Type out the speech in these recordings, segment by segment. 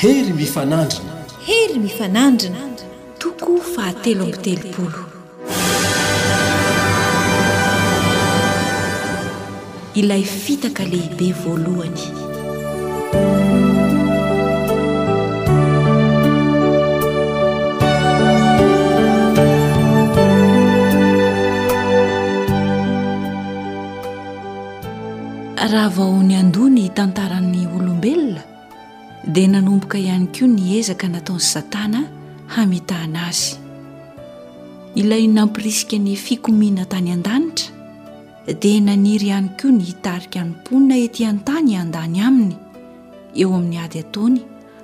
Hery mifanandrina. Hery mifanandrina. Toko fahatelo amby telopolo. Ilay fitaka lehibe voalohany. Raha vao niandoha ny tantaran'ny olombelona dia nanomboka ihany koa ny ezaka nataon'i Satana hamitahana azy. Ilay nampirisika ny fikomiana tany an-danitra dia naniry ihany koa ny hitarika ny mponina ety an-tany handany aminy eo amin'ny ady ataony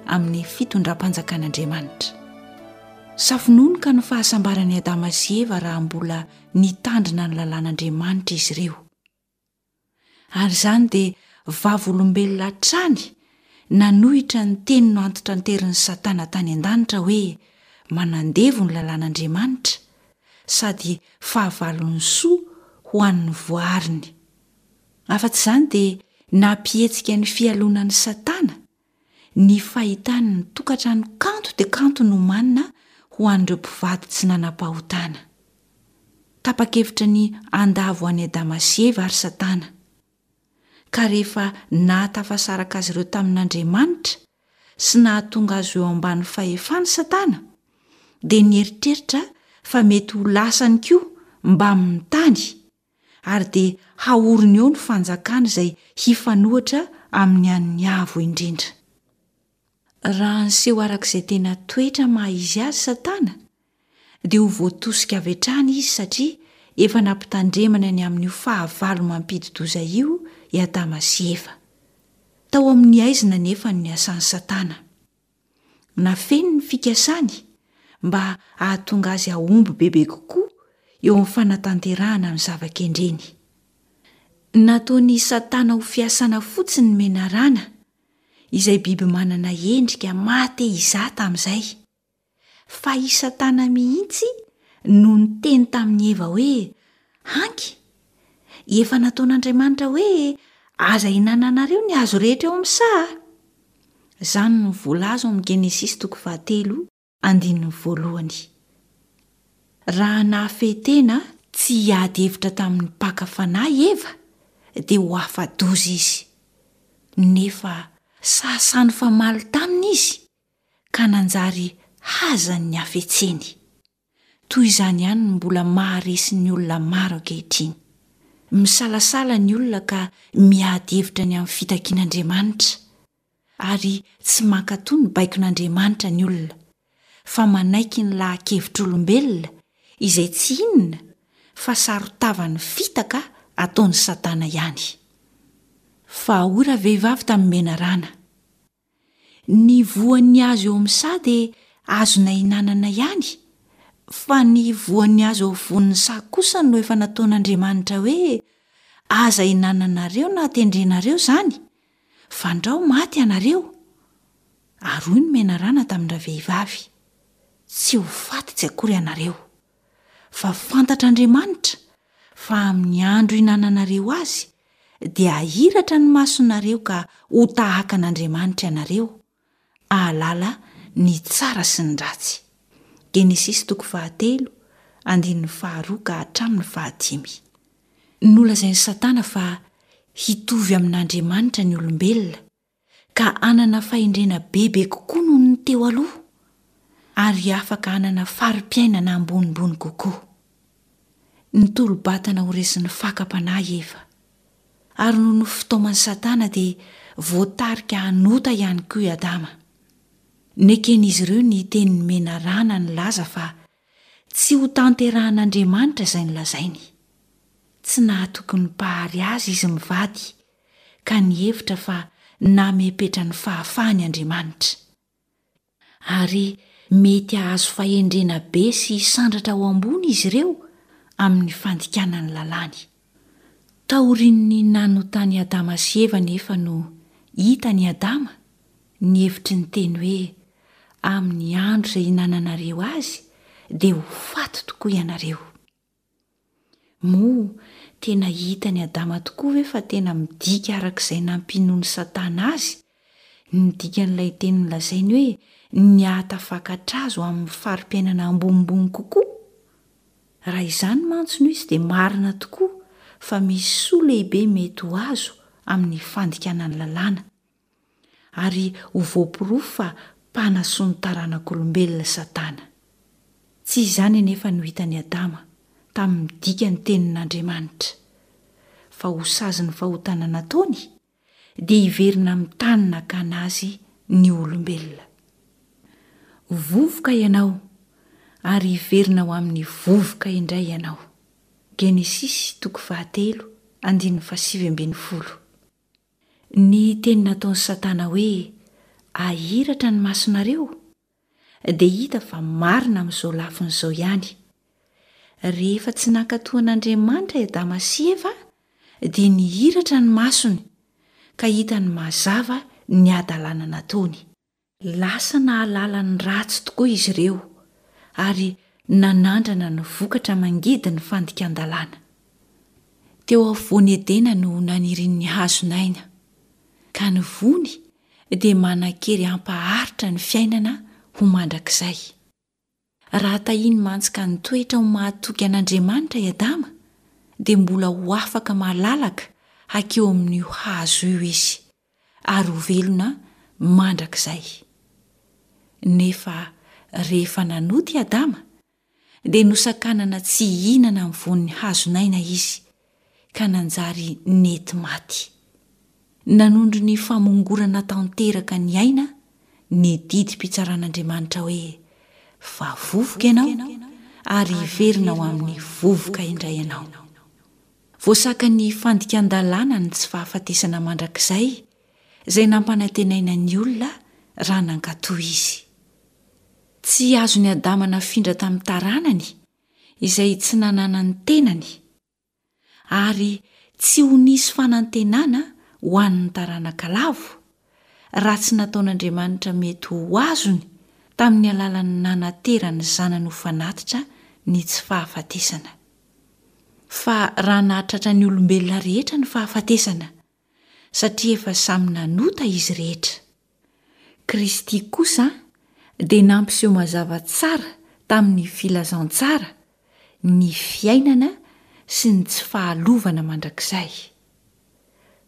amin'ny fitondram-panjakan'Andriamanitra. Safononoka ny fahasambaran'i Adama sy Eva raha mbola nitandrina ny lalàn'Andriamanitra izy ireo. Ary izany dia vavolombelona hatrany nanohitra ny teny noantitranterin'i Satana tany an-danitra hoe manandevo ny lalàn'Andriamanitra sady fahavalon'ny soa ho an'ny voariny. Afa-tsy izany dia nampihetsika ny fialonan'i Satana ny fahitany ny tokantrano kanto dia kanto nomanina ho an'ireo mpivady tsy nanam-pahotana. Tapa-kevitra ny handavo an'i Adama sy Eva ary Satana. Ka rehefa nahatafasaraka azy ireo tamin'Andriamanitra sy nahatonga azy ho eo ambany fahefany Satana, dia nieritreritra fa mety ho lasany koa mbamin'ny tany, ary dia haoriny eo ny fanjakany izay hifanohitra amin'ny an'ny Avo Indrindra. Raha niseho araka izay tena toetra maha izy azy Satana, dia ho voatosika avy hatrany izy satria efa nampitandremana ny amin'io fahavalo mampidi-doza io i Adama sy Eva. Tao amin'ny haizina anefa no niasan'i Satana. Nafeniny ny fikasany mba hahatonga azy hahomby bebe kokoa eo amin'ny fanatanterahana ny zava-kendreny. Nataon'i Satana ho fiasana fotsiny ny menarana, izay biby manana endrika maha te hizaha tamin'izay. Fa i Satana mihitsy no niteny tamin'i Eva hoe, Hanky, efa nataon'Andriamanitra hoe aza ihinananareo ny hazo rehetra eo amin'ny saha. Izany no voalaza ao amin'ny Genesisy toko fahatelo andininy voalohany. Raha nahafehy tena tsy hiady hevitra tamin'ny mpaka fanahy i Eva, dia ho afa-doza izy. Nefa sahasahy nifamaly taminy izy, ka nanjary hazan'ny hafetseny. Toy izany ihany no mbola maharesy ny olona maro ankehitriny. Misalasala ny olona ka miady hevitra ny amin'ny fitakian'Andriamanitra, ary tsy mankatò ny baikon'Andriamanitra ny olona, fa manaiky ny laha-kevitr'olombelona izay tsy inona fa saron-tavan'ny fitaka ataon'i Satana ihany. Fa hoy ravehivavy tamin'ny menarana, Ny voan'ny hazo eo amin'ny saha dia azonay hinanana ihany, fa ny voan'ny hazo eo afovoan'ny saha kosa no efa nataon'Andriamanitra hoe, Aza hinananareo na tendrenareo izany, fandrao maty ianareo. Ary hoy ny menarana tamin-dravehivavy, Tsy ho faty tsy akory ianareo. Fa fantatr'Andriamanitra fa amin'ny andro hinananareo azy dia hahiratra ny masonareo ka ho tahaka an'Andriamanitra ianareo, hahalala ny tsara sy ny ratsy. Genesisy toko fahatelo, andininy faharoa ka hatramin'ny fahadimy. Nolazain'i Satana fa hitovy amin'Andriamanitra ny olombelona ka hanana fahendrena bebe kokoa noho ny teo aloha, ary afaka hanana fari-piainana ambonimbony kokoa. Nitolo-batana ho resin'ny fakam-panahy Eva, ary noho ny fitaoman'i Satana dia voatarika hanota ihany koa i Adama. Neken'izy ireo ny tenin'ny menarana nilaza fa tsy hotanterahan'Andriamanitra izay nolazainy. Tsy nahatoky ny Mpahary azy izy mivady, ka nihevitra fa namepetra ny fahafahany Andriamanitra. Ary mety hahazo fahendrena be sy hisandratra ho ambony izy ireo amin'ny fandikana ny lalàny. Taorian'ny nanotan'i Adama sy Eva anefa no hitan'i Adama ny hevitry ny teny hoe amin'ny andro izay hinananareo azy dia ho faty tokoa ianareo. Moa tena hitan'i Adama tokoa ve fa tena midika araka izay nampinoan'i Satana azy? Ny dikan'ilay teny nolazainy hoe ny hahatafakatra azy ho amin'ny fari-piainana ambonimbony kokoa? Raha izany mantsy no izy dia marina tokoa fa misy soa lehibe mety ho azo amin'ny fandikana ny lalàna, ary ho voaporofo fa mpanasoa ny taranak'olombelona Satana. Tsy izany anefa no hitan'i Adama tamin'ny dikan'ny tenin'Andriamanitra, fa ho sazin'ny fahotana nataony dia hiverina amin'ny tany nakana azy ny olombelona. Vovoka ianao, ary hiverina ho amin'ny vovoka indray ianao. Genesisy toko fahatelo andininy fahasivy ambin'ny folo. Ny teny nataon'i Satana hoe ahiratra ny masonareo dia hita fa marina amin'izao lafiny izao ihany. Rehefa tsy nankatò an'Andriamanitra i Adama sy Eva dia nihiratra ny masony ka hitany mazava ny hadalana nataony. Lasa nahalala ny ratsy tokoa izy ireo ary nanandrana ny vokatra mangidy ny fandikan-dalàna. Teo afovoan'i Edena no nanirin'ny hazon'aina, ka ny voany dia manan-kery hampaharitra ny fiainana ho mandrakizay. Raha tahiny mantsy ka nitoetra ho mahatoky an'Andriamanitra i Adama, dia mbola ho afaka malalaka hakeo amin'io hazo io izy, ary ho velona mandrakizay. Nefa rehefa nanota i Adama, dia nosakanana tsy hihinana amin'ny voan'ny hazon'aina izy, ka nanjary nety maty. Nanondro ny famongorana tanteraka ny aina ny didim-pitsaran'Andriamanitra hoe, Fa vovoka ianao, ary hiverina ho amin'ny vovoka indray ianao. Voasakan'ny fandikan-dalàna ny tsy fahafatesana mandrakizay izay nampanantenaina ny olona raha nankatò izy. Tsy azon'i Adama nafindra tamin'ny taranany izay tsy nananan'ny tenany, ary tsy ho nisy fanantenana ho an'ny taranaka lavo, raha tsy nataon'Andriamanitra mety ho azony tamin'ny alalan'ny nanaterany zanany ho fanatitra ny tsy fahafatesana. Fa raha nahatratra ny olombelona rehetra ny fahafatesana, satria efa samy nanota izy rehetra, Kristy kosa dia nampiseho mazava tsara tamin'ny filazantsara ny fiainana sy ny tsy fahalovana mandrakizay.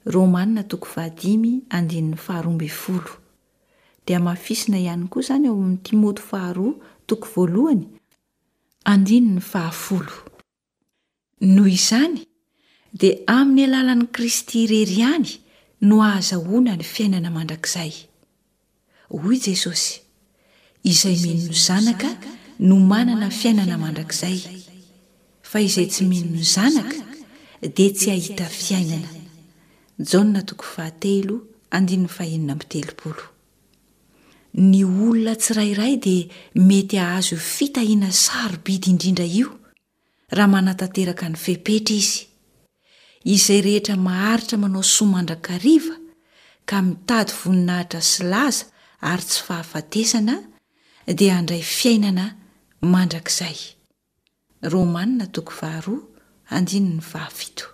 Romana toko fahadimy andininy faharoa ambin'ny folo. Dia hamafisina ihany koa izany ao amin'ny Timoty faharoa toko voalohany andininy fahafolo. Noho izany, dia amin'ny alalan'i Kristy irery ihany no ahazahoana ny fiainana mandrakizay. Hoy Jesosy, Izay mino ny Zanaka no manana fiainana mandrakizay, fa izay tsy mino ny Zanaka dia tsy hahita fiainana. Jaona toko fahatelo andininy fahenina amby telopolo. Ny olona tsirairay dia mety hahazo io fitahiana sarobidy indrindra io raha manatanteraka ny fepetra izy. Izay rehetra maharitra manao soa mandrakariva ka mitady voninahitra sy laza ary tsy fahafatesana dia handray fiainana mandrakizay. Romana toko faharoa andininy fahafito.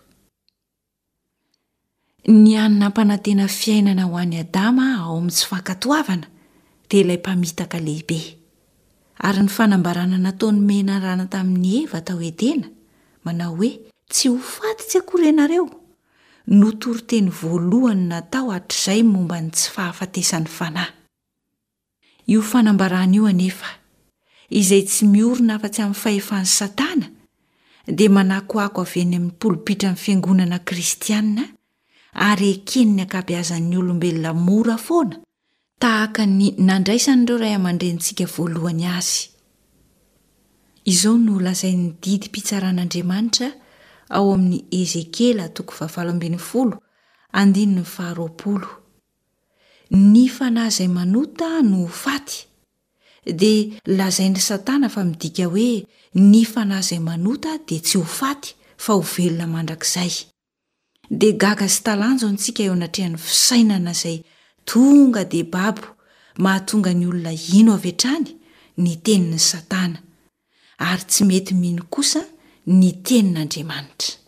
Ny hany nampanantena fiainana ho an'i Adama ao amin'ny tsy fankatoavana dia ilay mpamitaka lehibe. Ary ny fanambarana nataon'ny menarana tamin'i Eva tao Edena, manao hoe, Tsy ho faty tsy akory ianareo, no toriteny voalohany natao hatrizay momba ny tsy fahafatesan'ny fanahy. Io fanambarana io anefa, izay tsy miorina afa-tsy amin'ny fahefan'i Satana, dia manakoako avy eny amin'ny polipitran'ny fiangonana kristiana ary eken'ny ankabeazan'ny olombelona mora foana, tahaka ny nandraisan'ireo ray aman-drenintsika voalohany azy. Izao no lazain'ny didim-pitsaran'Andriamanitra ao amin'ny Ezekiela toko fahavalo ambin'ny folo andininy faharoapolo, Ny fanahy izay manota no ho faty, dia lazain'i Satana fa midika hoe ny fanahy izay manota dia tsy ho faty fa ho velona mandrakizay. Dia gaga sy talanjona isika eo anatrehan'ny fisainana izay tonga dia babo mahatonga ny olona hino avy hatrany ny tenin'i Satana, ary tsy mety mino kosa ny tenin'Andriamanitra.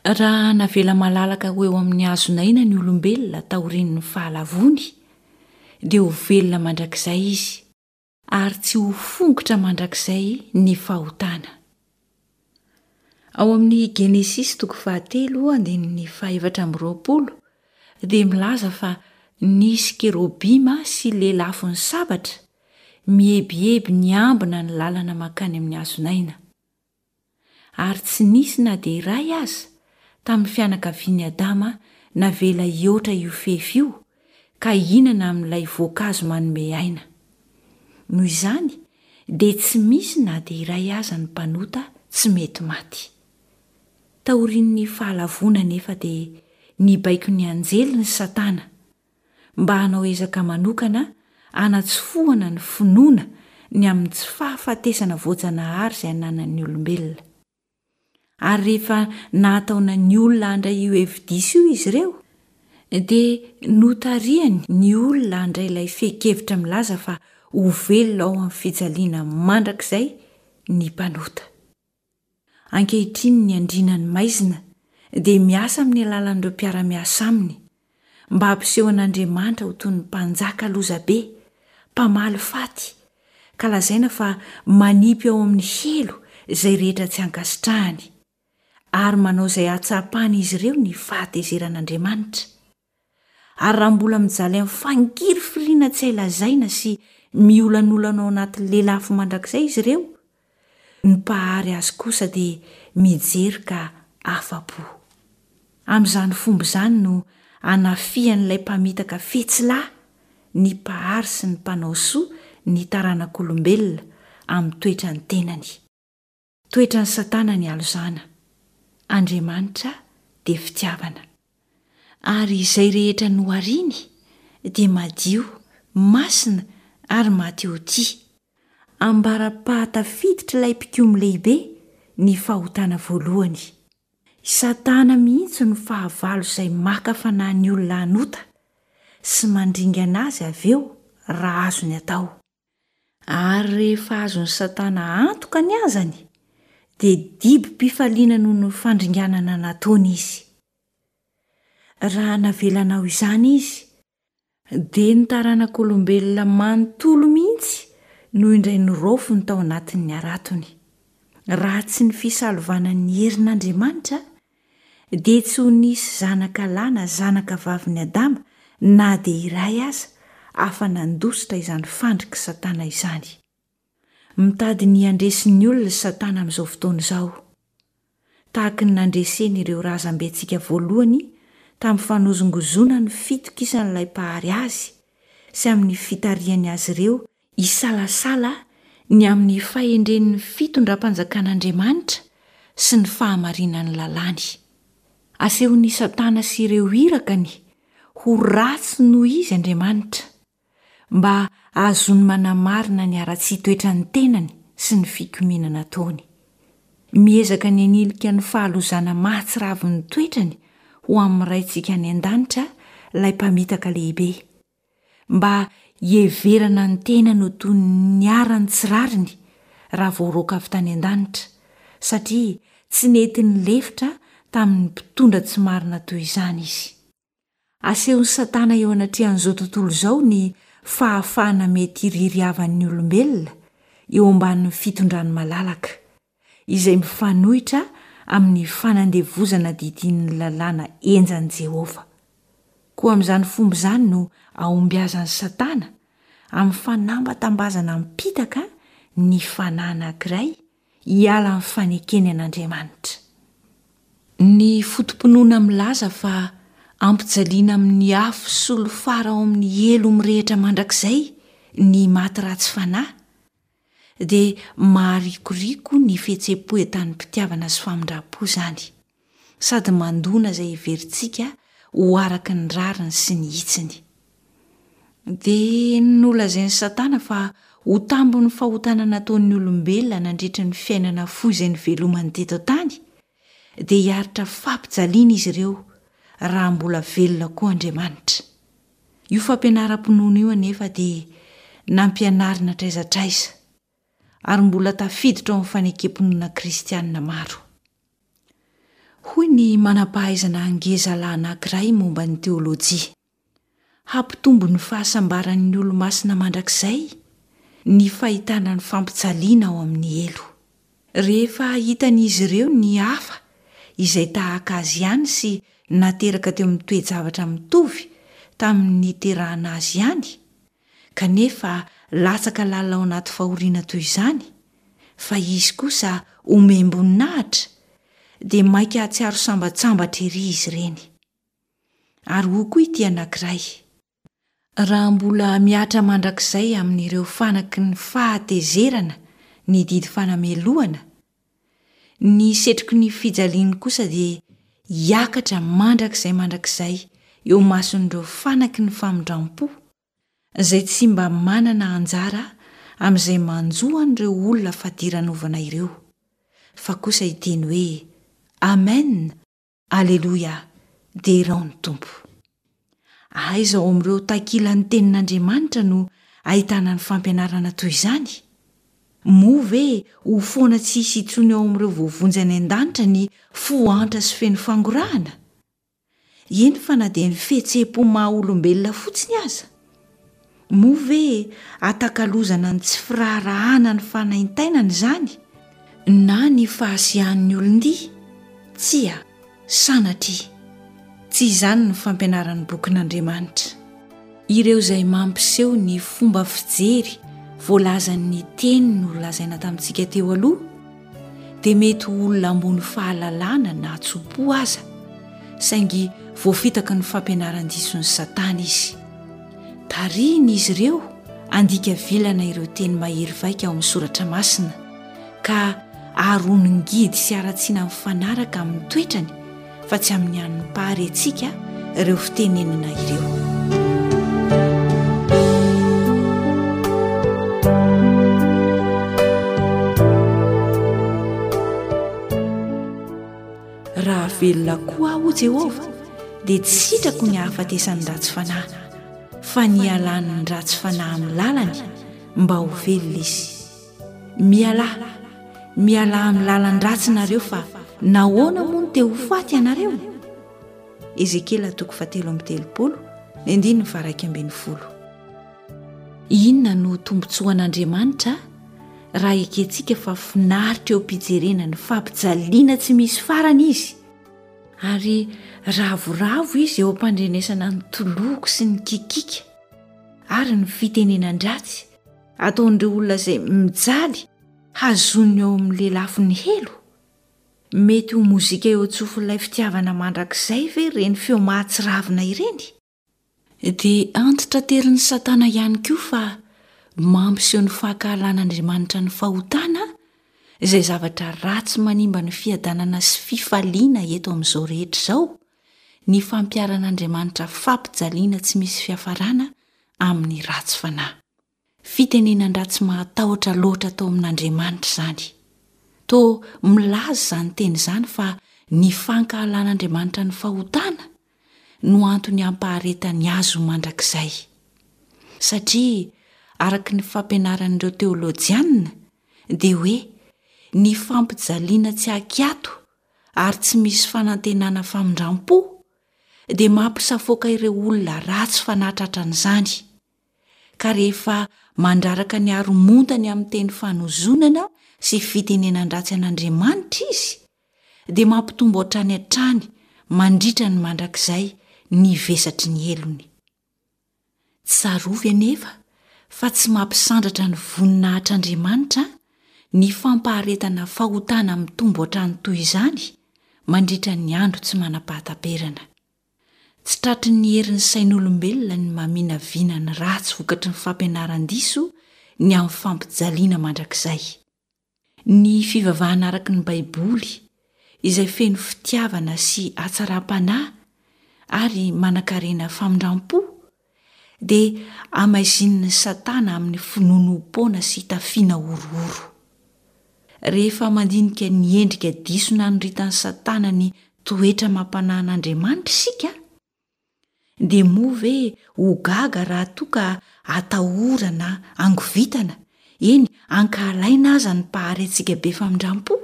Raha navela malalaka ho eo amin'ny hazon'aina ny olombelona taorian'ny fahalavoany, dia ho velona mandrakizay izy, ary tsy ho fongotra mandrakizay ny fahotana. Ao amin'ny Genesisy toko fahatelo andininy fahefatra amby 20 dia milaza fa nisy kerobima sy lelafon'ny sabatra mihebiheby niambina ny lalana mankany amin'ny hazon'aina. Ary tsy nisy na dia iray aza tamin'ny fianakavian'i Adama navela hihoatra io fefy io ka hihinana amin'ilay voankazo manome aina. Noho izany, dia tsy misy na dia iray aza ny mpanota tsy mety maty. Taorian'ny Fahalavoana anefa dia nibaiko ny anjeliny Satana mba hanao ezaka manokana hanatsofohana ny finoana ny amin'ny tsy fahafatesana voajanahary izay ananan'ny olombelona. Ary rehefa nahataona ny olona handray io hevi-diso io izy ireo, dia notarihany ny olona handray ilay fehin-kevitra milaza fa ho velona ao amin'ny fijaliana mandrakizay ny mpanota. Ankehitriny ny andriana ny maizina dia miasa amin'ny alalan'ireo mpiara-miasa aminy mba hampiseho an'Andriamanitra ho toy ny mpanjaka lozabe, mpamaly faty, ka lazaina fa manipy ao amin'ny helo izay rehetra tsy ankasitrahany, ary manao izay hahatsapan'izy ireo ny fahatezeran'Andriamanitra. Ary raha mbola mijaly amin'ny fangirifiriana tsy hay lazaina sy miolanolana ao anaty lelafo mandrakizay izy ireo, ny Mpahary azy kosa dia mijery ka afa-po. Amin'izany fomba izany no anafihan'ilay mpamitaka fetsy lahy ny Mpahary sy ny Mpanao soa ny taranak'olombelona amin'ny toetran'ny tenany. Toetran'i Satana ny halozana. Andriamanitra dia fitiavana. Ary izay rehetra nohariny dia madio, masina ary maty ho tia. Ambara-pahatafiditr' ilay mpikomy lehibe ny fahotana voalohany. I Satana mihitsy no fahavalo izay maka fanahy ny olona hanota sy mandringana azy avy eo raha azony atao. Ary rehefa azon'i Satana antoka ny azany, dia dibo-pifaliana noho ny fandringanana nataony izy. Raha navelanao izany izy, dia ny taranak'olombelona manontolo mihitsy no indray noraofiny tao anatin'ny haratony. Raha tsy ny fisalovanan'ny herin'Andriamanitra, dia tsy ho nisy zanaka lahy na zanaka vavin'i Adama na dia iray aza afa-nandositra izany fandrik'i Satana izany. Mitady ny handresy ny olona i Satana amin'izao fotoana izao, tahaka ny nandreseny ireo razambentsika voalohany tamin'ny fanozongozonany ny fitokisan'ilay Mpahary azy sy amin'ny fitarihany azy ireo hisalasala ny amin'ny fahendren'ny fitondram-panjakan'Andriamanitra sy ny fahamarinan'ny lalàny. Asehon'i Satana sy ireo irakany ho ratsy noho izy Andriamanitra, mba hahazoany manamarina ny haratsian-toetran'ny tenany sy ny fikomiana nataony. Miezaka ny hanilika ny fahalozana mahatsiravin'ny toetrany ho amin'ny Raintsika any an-danitra ilay Mpamitaka lehibe. mba hiheverana ny tenany ho toy ny niharan'ny tsy rariny raha voaroaka avy tany an-danitra, satria tsy nety nilefitra tamin'ny mpitondra tsy marina toy izany izy. Asehon'i Satana eo anatrehan'izao tontolo izao ny fahafahana mety hiririavan'ny olombelona eo ambanin'ny fitondrany malalaka, izay mifanohitra amin'ny fanandevozana didian'ny lalàna henjan'i Jehovah. Koa amin'izany fomba izany no ahombiazan'i Satana amin'ny fanambatambazana am-pitaka ny fanahy anankiray hiala amin'ny fanekeny an'Andriamanitra. Ny foto-pinoana milaza fa ampijaliana amin'ny afo solifara ao amin'ny helo mirehitra mandrakizay ny maty ratsy fanahy dia maharikoriko ny fihetseham-po entanim-pitiavana sy famindram-po izany, sady mandona izay heverintsika ho araka ny rariny sy ny hitsiny. Dia nolazain'i Satana fa ho tambin'ny fahotana nataon'ny olombelona nandritra ny fiainana fohy izay nivelomany teto an-tany, dia hiaritra fampijaliana izy ireo raha mbola velona koa Andriamanitra. Io fampianaram-pinoana io anefa dia nampianarina hatraiza hatraiza, ary mbola tafiditra ao amin'ny fanekem-pinoana kristianina maro. Hoy ny manam-pahaizana ngezalahy anankiray momba ny teolojia. Hampitombo ny fahasambaran'ny olo-masina mandrakizay ny fahitana ny fampijaliana ao amin'ny helo. Rehefa hitan'izy ireo ny hafa izay tahaka azy ihany sy nateraka teo amin'ny toe-javatra mitovy tamin'ny niterahana azy ihany, kanefa latsaka lalina ao anaty fahoriana toy izany, fa izy kosa omem-boninahitra, dia mainka hahatsiaro sambatsambatra ery izy ireny. Ary hoy koa ity anankiray, Raha mbola mihatra mandrakizay amin'ireo fanaky ny fahatezerana ny didy fanamelohana, ny setroky ny fijaliany kosa dia hiakatra mandrakizay mandrakizay eo imason'ireo fanaky ny famindram-po, izay tsy mba manana anjara amin'izay manjo an'ireo olona fadiranovana ireo, fa kosa hiteny hoe, Amen! Aleloia! Derao ny Tompo! Aiza ao amin'ireo takilan'ny Tenin'Andriamanitra no ahitana ny fampianarana toy izany? Moa ve ho foana tsy hisy intsony ao amin'ireo voavonjy any an-danitra ny fo antra sy feno fangorahana? Eny fa na dia ny fihetseham-po maha-olombelona fotsiny aza? Moa ve atakalozana ny tsy firaharahana ny fanaintainana izany na ny fahasiahan'ny olon-dia? Tsia, sanatria! Tsy izany ny fampianaran'ny bokin'Andriamanitra. Ireo izay mampiseho ny fomba fijery voalazan'ny teny nolazaina tamintsika teo aloha dia mety ho olona ambony fahalalana na tso-po aza, saingy voafitaky ny fampianaran-dison'i Satana izy. Tarihiny izy ireo handika vilana ireo teny mahery vaika ao amin'ny Soratra Masina, ka haharony ngidy sy haratsiana mifanaraka amin'ny toetrany fa tsy amin'ny an'ny Mpahary antsika ireo fitenenana ireo. Raha velona koa aho, hoy Jehovah, dia tsy sitrako ny hahafatesan'ny ratsy fanahy, fa ny hialan'ny ratsy fanahy amin'ny lalany mba ho velona izy. Mialà, mialà amin'ny lalan-dratsy nareo fa nahoana moa no te ho faty ianareo? Ezekiela toko fahatelo amby telopolo, ny andininy faha-iraika ambin'ny folo. Inona no tombontsoan'Andriamanitra raha ekentsika fa finaritra eo am-pijerena ny fampijaliana tsy misy farany izy, ary ravoravo izy eo am-pandrenesana ny toloko sy ny kikiaka ary ny fitenenan-dratsy ataon'ireo olona izay mijaly hazoniny ao amin'ny lelafon'ny helo? Mety ho mozika eo an-tsofin'ilay fitiavana mandrakizay ve ireny feo mahatsiravina ireny? Dia antitranterin'i Satana ihany koa fa mampiseho ny fankahalan'Andriamanitra ny fahotana, izay zavatra ratsy manimba ny fiadanana sy fifaliana eto amin'izao rehetra izao, ny fampiharan'Andriamanitra fampijaliana tsy misy fiafarana amin'ny ratsy fanahy. Fitenenan-dratsy mahatahotra loatra tao amin'Andriamanitra izany. Toa milaza izany teny izany fa ny fankahalan'Andriamanitra ny fahotana no antony hampaharetany azy ho mandrakizay. Satria araka ny fampianaran'ireo teolojianina dia hoe ny fampijaliana tsy ankiato ary tsy misy fanantenana famindram-po dia mampisafoaka ireo olona ratsy fanahy tratran'izany. ka rehefa mandraraka ny haromontany amin'ny teny fanozonana sy fitenenan-dratsy an'Andriamanitra izy, dia mampitombo hatrany hatrany mandritra ny mandrakizay ny vesatry ny helony. Tsarovy anefa fa tsy mampisandratra ny voninahitr'Andriamanitra ny fampaharetana fahotana mitombo hatrany toy izany mandritra ny andro tsy manam-pahataperana. Tsy tratry ny herin'ny sain'olombelona ny maminavina ny ratsy vokatry ny fampianaran-diso ny amin'ny fampijaliana mandrakizay. Ny fivavahana araka ny Baiboly, izay feno fitiavana sy hatsaram-panahy ary manankarena famindram-po, dia hamaizinin'i Satana amin'ny finoanoam-poana sy tafiana horohoro. Rehefa mandinika ny endrika diso nanoritan'i Satana ny toetra amam-panahin'Andriamanitra isika, dia moa ve ho gaga raha toa ka atahorana, angovitana, eny, ankahalaina aza ny Mpahary antsika be famindram-po?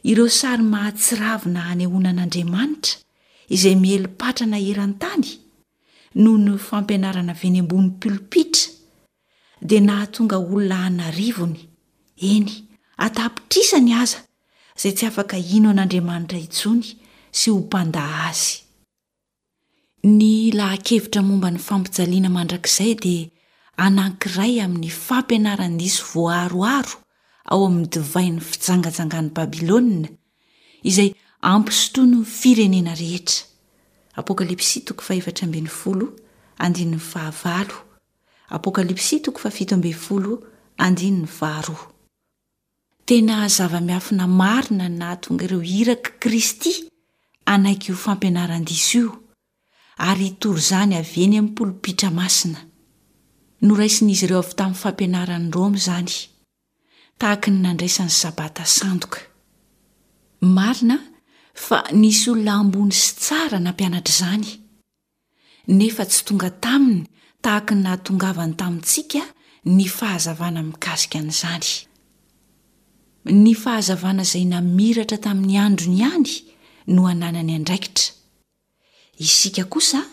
Ireo sary mahatsiravina hanehoana an'Andriamanitra, izay miely patrana eran-tany, noho ny fampianarana avy eny ambony pilopitra dia nahatonga olona an'arivony, eny, an-tapitrisany aza, izay tsy afaka hino an'Andriamanitra intsony sy ho mpandà azy. Ny laha-kevitra momba ny fampijaliana mandrakizay dia anankiray amin'ny fampianaran-diso voaharoharo ao amin'ny divain'ny fijangajangan'i Babylona, izay ampisotroiny ny firenena rehetra. Apokalypsy toko fahefatra ambin'ny folo, andininy fahavalo, Apokalypsy toko fahafito ambin'ny folo, andininy faharoa. Tena zava-miafina marina ny nahatonga ireo irak'i Kristy hanaiky io fampianaran-diso io, ary hitory izany avy eny amin'ny polopitra masina. Noraisin'izy ireo avy tamin'ny fampianaran'i Roma izany, tahaka ny nandraisany Sabata sandoka. Marina fa nisy olona ambony sy tsara nampianatra izany, nefa tsy tonga taminy tahaka ny nahatongavany tamintsika ny fahazavana mikasika an'izany. Ny fahazavana izay namiratra tamin'ny androny ihany no ananany andraikitra. Isika kosa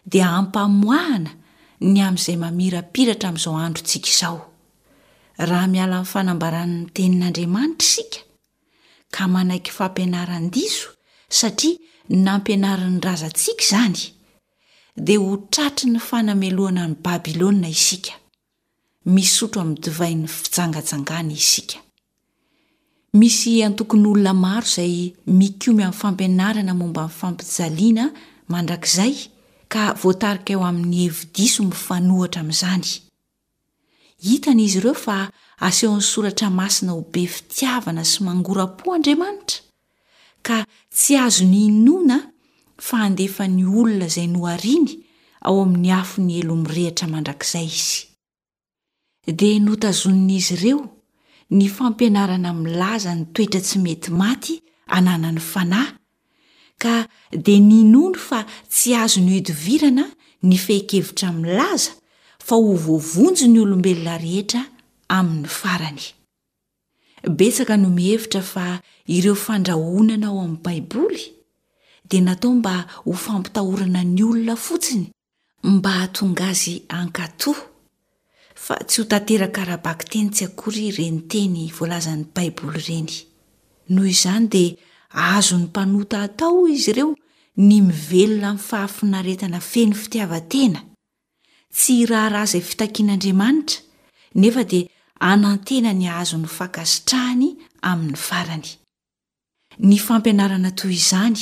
dia ampamoahana ny amin'izay mamirapiratra amin'izao androntsika izao. Raha miala amin'ny fanambaran'ny Tenin'Andriamanitra isika, ka manaiky fampianaran-diso satria nampianarin'ny razantsika izany, dia ho tratry ny fanamelohana an'i Babylona isika. Misotro amin'ny divain'ny fijangajangana isika. Misy antokon'olona maro izay mikomy amin'ny fampianarana momba ny fampijaliana mandrakizay ka voatarika eo amin'ny hevi-diso mifanohitra amin'izany. Hitan'izy ireo fa asehon'ny Soratra Masina ho be fitiavana sy mangora-po Andriamanitra, ka tsy azony inoana fa handefa ny olona izay nohariny ao amin'ny afon'ny helo mirehitra mandrakizay izy. Dia notazonin'izy ireo ny fampianarana milaza ny toetra tsy mety maty ananan'ny fanahy, ka dia ninoany fa tsy azony ihodivirana ny fehin-kevitra milaza fa ho voavonjy ny olombelona rehetra amin'ny farany. Betsaka no mihevitra fa ireo fandrahonana ao amin'ny Baiboly dia natao mba ho fampitahorana ny olona fotsiny mba hahatonga azy hankatò, fa tsy ho tanteraka ara-bakiteny tsy akory ireny teny voalazan'ny Baiboly ireny. Noho izany dia azon'ny mpanota atao, hoy izy ireo, ny mivelona amin'ny fahafinaretana feno fitiavan-tena, tsy hiraharaha izay fitakian'Andriamanitra, nefa dia hanantena ny hahazo ny fankasitrahany amin'ny farany. Ny fampianarana toy izany,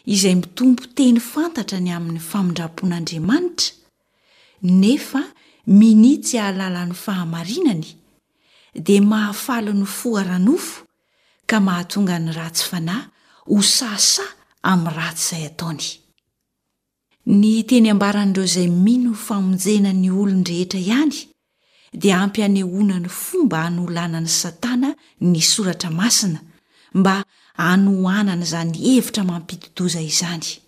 izay mitompo teny fantatra ny amin'ny famindram-pon'Andriamanitra, nefa minia tsy hahalala ny fahamarinany, dia mahafaly ny fo ara-nofo ka mahatonga ny ratsy fanahy ho sahasaha amin'ny ratsy izay ataony. Ny teny ambaran'ireo izay mino famonjena ny olon-drehetra ihany dia ampy hanehoana ny fomba hanolanan'i Satana ny Soratra Masina mba hanohanana izany hevitra mampidi-doza izany.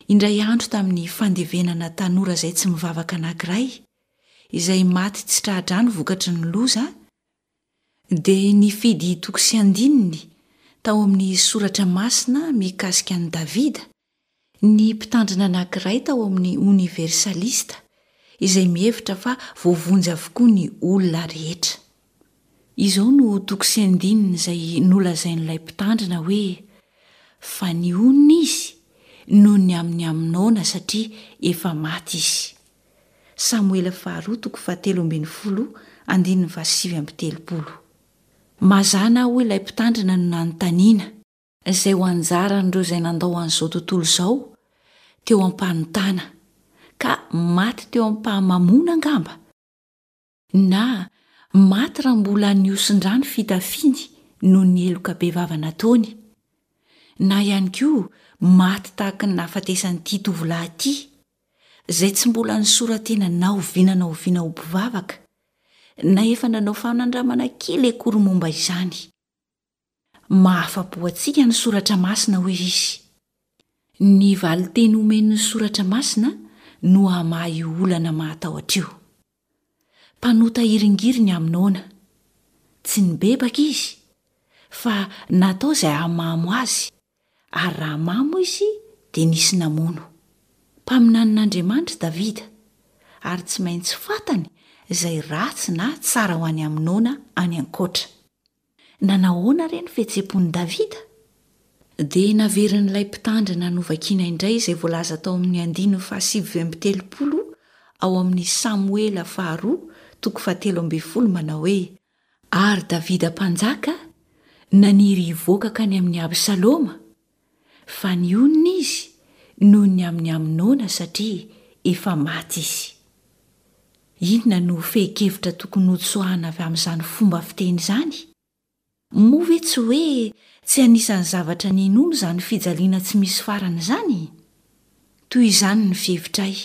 Indray andro tamin'ny fandevenana tanora izay tsy mivavaka anankiray, izay maty tsy tra-drano vokatry ny loza, dia nifidy toko sy andininy tao amin'ny Soratra Masina mikasika an'i Davida ny mpitandrina anankiray tao amin'ny Oniversalista izay mihevitra fa voavonjy avokoa ny olona rehetra. Izao no toko sy andininy izay nolazain'ilay mpitandrina hoe, Fa nionona izy noho ny amin'i Amnona satria efa maty izy. Samoela faharoa toko fahatelo ambin'ny folo andininy fahasivy amby telopolo. Mazàna hoy ilay mpitandrina no nanontaniana. Izay ho anjaran'ireo izay nandao an'izao tontolo izao teo am-panontana, ka maty teo am-pahamamoana angamba, na maty raha mbola nihosin-drà ny fitafiany noho ny heloka bevava nataony, na ihany koa maty tahaka ny nahafatesan'ity tovolahy ity, izay tsy mbola nisora-tena na oviana na oviana ho mpivavaka, na efa nanao fanandramana kely akory momba izany. Mahafa-po antsika ny Soratra Masina, hoy izy. Ny valin-teny omen'ny Soratra Masina no hamaha io olana mahatahotra io. Mpanota hiringiriny Amnona. Tsy nibebaka izy, fa natao izay hahamamo azy, ary raha mamo izy dia nisy namono. Mpaminanin'Andriamanitra Davida, ary tsy maintsy fantany izay ratsy na tsara ho an'i Amnona any ankoatra. Nanahoana re ny fihetseham-pon'i Davida? Dia naverin'ilay mpitandrina novakina indray izay voalaza tao amin'ny andininy fahasivy amby telopolo ao amin'ny Samoela faharoa toko fahatelo ambin'ny folo manao hoe, Ary Davida mpanjaka naniry hivoaka hankany amin'i Absaloma, fa nionona izy noho ny amin'i Amnona satria efa maty izy. Inona no fehin-kevitra tokony hotsoahana avy amin'izany fomba fiteny izany? Moa ve tsy hoe tsy anisan'ny zavatra ninoana izany fijaliana tsy misy farany izany? Toy izany ny fihevitray.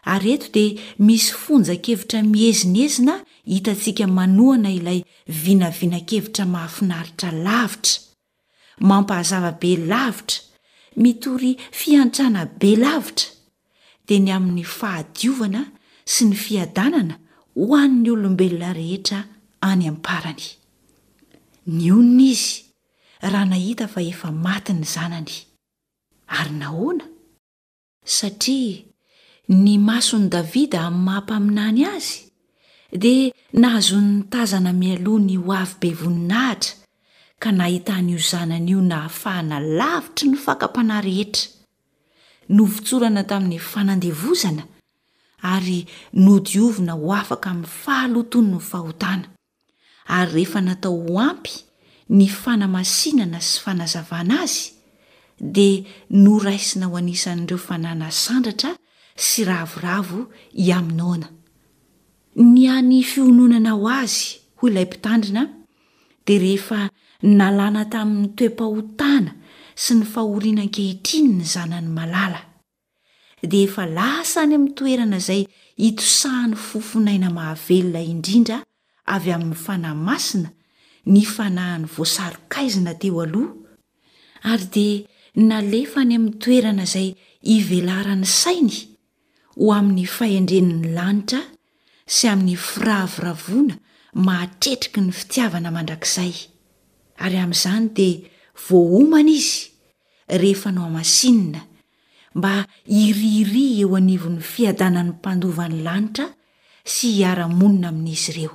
Ary eto dia misy fonjan-kevitra miezinezina hitantsika manohana ilay vinavinan-kevitra mahafinaritra lavitra, mampahazava be lavitra, mitory fiantrana be lavitra, dia ny amin'ny fahadiovana sy ny fiadanana ho an'ny olombelona rehetra any am-parany. Nionona izy raha nahita fa efa maty ny zanany. Ary nahoana? Satria ny mason'i Davida amin'ny maha-mpaminany azy dia nahazoany nitazana mialoha ny ho avy be voninahitra ka nahitany io zanany io nahafahana lavitry ny fakam-panahy rehetra, novotsorana tamin'ny fanandevozana ary nodiovina ho afaka amin'ny fahalotoan'ny fahotana. ary rehefa natao ho ampy ny fanamasinana sy fanazavana azy dia noraisina ho anisan'ireo fanahy nasandratra sy ravoravo i Amnona. Ny hany fiononana ho azy, hoy ilay mpitandrina, dia rehefa nalana tamin'ny toe-pahotana sy ny fahoriana ankehitriny ny zanany malala. dia efa lasa any amin'ny toerana izay itosahan'ny fofon'aina mahavelona indrindra avy amin'ny Fanahy Masina ny fanahiny voasaron-kaizina teo aloha, ary dia nalefa any amin'ny toerana izay ivelaran'ny sainy ho amin'ny fahendren'ny lanitra sy amin'ny firavoravoana mahatretriky ny fitiavana mandrakizay, ary amin'izany dia voaomana izy rehefa nohamasinina mba hirihiria eo anivon'ny fiadanan'ny mpandova ny lanitra sy hiara-monina amin'izy ireo.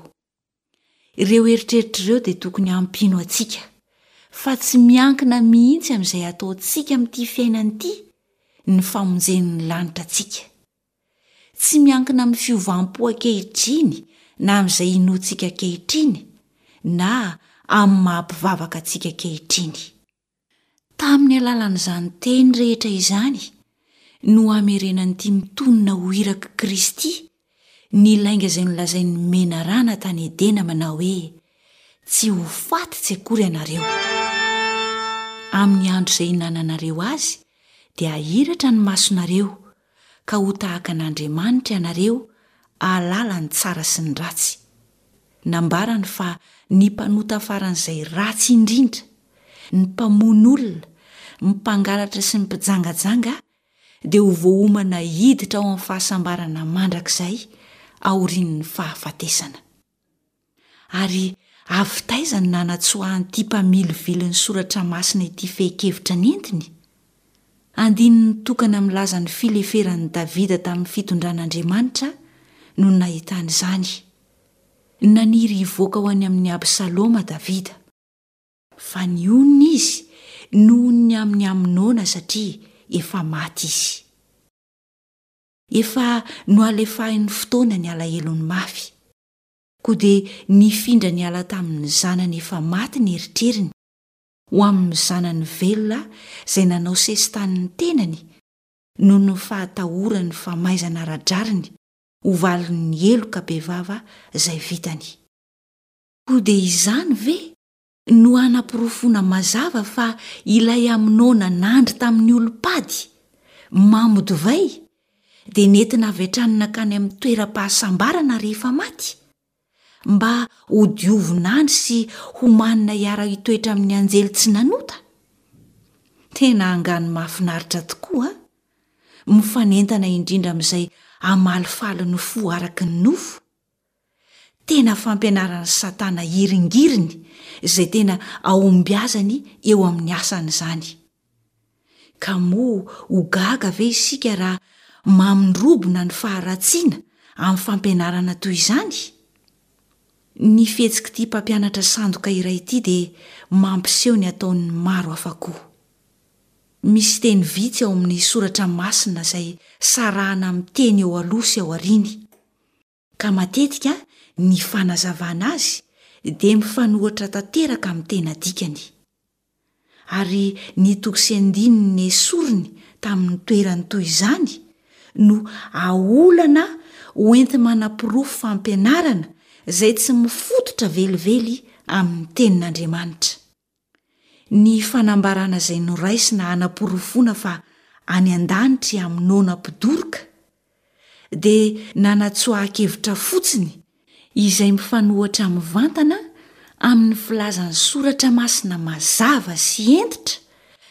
Ireo eritreritra ireo dia tokony hampino antsika fa tsy miankina mihitsy amin'izay ataontsika amin'ity fiainana ity ny famonjen'ny lanitra antsika. Tsy miankina amin'ny fiovam-po ankehitriny na amin'izay inoantsika ankehitriny na amin'ny maha-mpivavaka antsika ankehitriny. Tamin'ny alalan'izany teny rehetra izany no hamerenan'ity mitonona ho irak'i Kristy ny lainga izay nolazain'ny menarana tany Edena manao hoe, Tsy ho faty tsy akory ianareo. Amin'ny andro izay hinananareo azy dia hahiratra ny masonareo ka ho tahaka an'Andriamanitra ianareo hahalala ny tsara sy ny ratsy. Nambarany fa ny mpanota faran'izay ratsy indrindra, ny mpamono olona, ny mpangalatra sy ny mpijangajanga dia ho voaomana hiditra ao amin'ny fahasambarana mandrakizay aorian'ny fahafatesana. Ary avy taiza no nanatsoahan'ity mpamilivily ny soratra masina ity fehin-kevitra nentiny? Andininy tokana milaza ny fileferan'i Davida tamin'ny fitondran'Andriamanitra no nahitany izany. Naniry hivoaka ho any amin'i Absaloma Davida. Fa nionona izy noho ny amin'i Amnona satria efa maty izy. Efa nohalefahin'ny fotoana ny alahelony mafy. Koa dia nifindra niala tamin'ny zanany efa maty ny eritreriny, ho amin'ny zanany velona izay nanao sesitany ny tenany noho ny fahatahorany famaizana ara-drariny ho valin'ny heloka bevava izay vitany. Koa dia izany ve no hanaporofoana mazava fa ilay Amnona nandry tamin'ny olom-pady, mamo divay, dia nentina avy hatrany nankany amin'ny toeram-pahasambarana rehefa maty? Mba hodiovina any sy homanina hiara-hitoetra amin'ny anjely tsy nanota? Tena angano mahafinaritra tokoa an! Mifanentana indrindra amin'izay hamalifaly ny fo araka ny nofo. Tena fampianaran'i Satana hiringiriny izay tena ahombiazany eo amin'ny asany izany. Ka moa ho gaga ve isika raha. mamindrobona ny faharatsiana amin'ny fampianarana toy izany? Ny fihetsik'ity mpampianatra sandoka iray ity dia mampiseho ny ataon'ny maro hafa koa. Misy teny vitsy ao amin'ny soratra masina izay sarahana amin'ny teny eo aloha sy aoriany, ka matetika ny fanazavana azy dia mifanohitra tanteraka amin'ny tena dikany. Ary ny toko sy andininy nesoriny tamin'ny toerany toy izany no aolana hoenti-manaporofo fampianarana izay tsy mifototra velively amin'ny Tenin'Andriamanitra. Ny fanambarana izay noraisina hanaporofoana fa any an-danitra i Amnona mpidoroka dia nanatsoahan-kevitra fotsiny izay mifanohitra mivantana amin'ny filazan'ny Soratra Masina mazava sy hentitra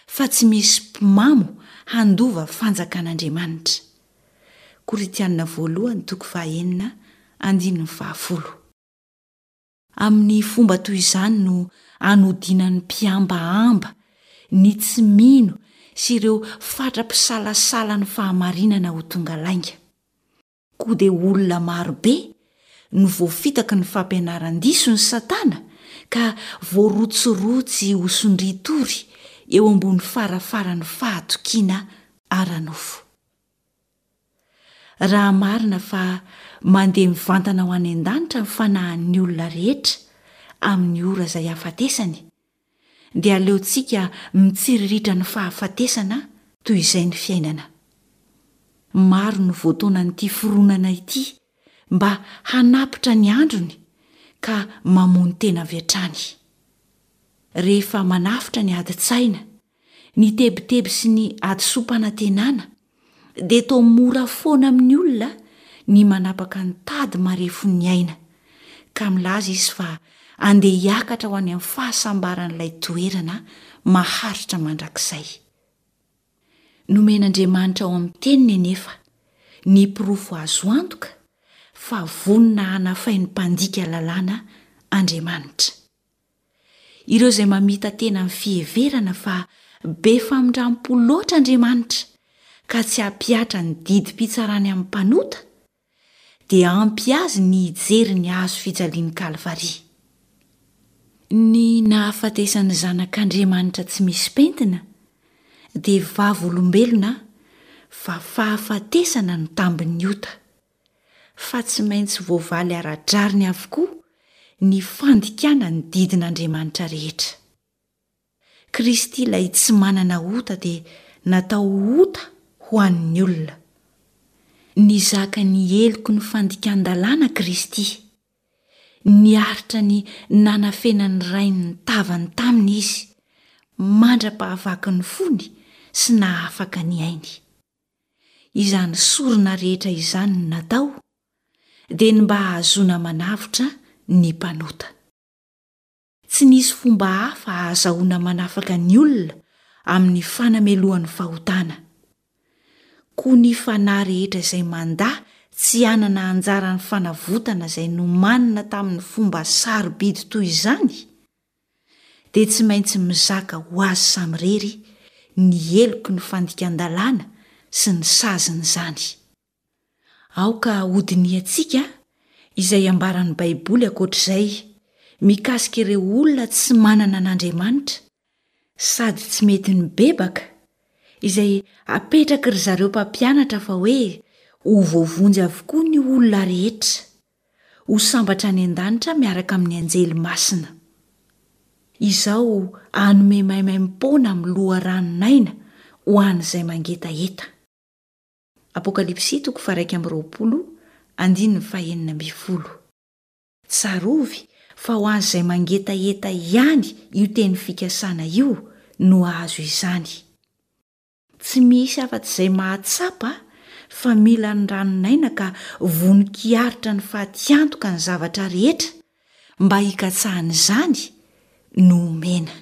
fa tsy misy mpimamo handova fanjakan'Andriamanitra. Korintiana voalohany toko fahaenina andininy fahafolo. Amin'ny fomba toy izany no anodinan'ny mpihambahamba, ny tsy mino sy ireo fatra-pisalasala ny fahamarinana ho tonga lainga. Koa dia olona maro be no voafitaky ny fampianaran-dison'i Satana ka voarotsirotsy ho sondrian-tory eo ambony farafaran'ny fahatokiana ara-nofo. Raha marina fa mandeha mivantana ho any an-danitra ny fanahin'ny olona rehetra amin'ny ora izay hahafatesany, dia aleontsika mitsiriritra ny fahafatesana toy izay ny fiainana. Maro no voataonan'ity fironana ity mba hanapitra ny androny ka mamono tena avy hatrany. Rehefa manafotra ny adin-tsaina, ny tebiteby sy ny hadisoam-panantenana, dia toa mora foana amin'ny olona ny manapaka ny tady marefon'ny aina, ka milaza izy fa andeha hiakatra ho any amin'ny fahasambaran'ilay toerana maharitra mandrakizay. Nomen'Andriamanitra ao amin'ny Teniny anefa ny porofo azo antoka fa vonona hanafay ny mpandika lalàna Andriamanitra. Ireo izay mamita-tena amin'ny fiheverana fa be famindram-po loatra Andriamanitra ka tsy hampihatra ny didim-pitsarany amin'ny mpanota, dia ampy azy ny hijery ny hazo fijalian'i Kalvary. Ny nahafatesan'ny Zanak'Andriamanitra tsy misy pentina dia vavolombelona fa fahafatesana no tambin'ny ota. fa tsy maintsy voavaly ara-drariny avokoa ny fandikana ny didin'Andriamanitra rehetra. Kristy ilay tsy manana ota dia natao ho ota ho an'ny olona. Nizaka ny heloky ny fandikan-dalàna Kristy. Niaritra ny nanafenan'ny Rainy ny tavany taminy Izy, mandra-pahavaky ny fony sy nahafaka ny ainy. Izany sorona rehetra izany no natao dia ny mba hahazoana manavotra ny mpanota. Tsy nisy fomba hafa hahazahoana manafaka ny olona amin'ny fanamelohan'ny fahotana. Koa ny fanahy rehetra izay mandà tsy hanana anjara ny fanavotana izay nomanina tamin'ny fomba sarobidy toy izany dia tsy maintsy mizaka ho azy samirery ny heloky ny fandikan-dalàna sy ny sazin'izany. Aoka hodinihantsika izay ambaran'ny Baiboly ankoatr'izay mikasika ireo olona tsy manana an'Andriamanitra sady tsy mety mibebaka, izay apetraky ry zareo mpampianatra fa hoe ho voavonjy avokoa ny olona rehetra. ho sambatra any an-danitra miaraka amin'ny anjely masina. Izao hanome maimaimpoana amin'ny loharanon'aina ho an'izay mangetaheta. Apokalypsy toko faha-21 andininy faha-16. Tsarovy fa ho an'izay mangetaheta ihany io teny fikasana io no hahazo izany. Tsy misy afa-tsy izay mahatsapa fa mila ny ranon'aina ka vonon-kiaritra ny fatiantoka ny zavatra rehetra mba hikatsahana izany no omena.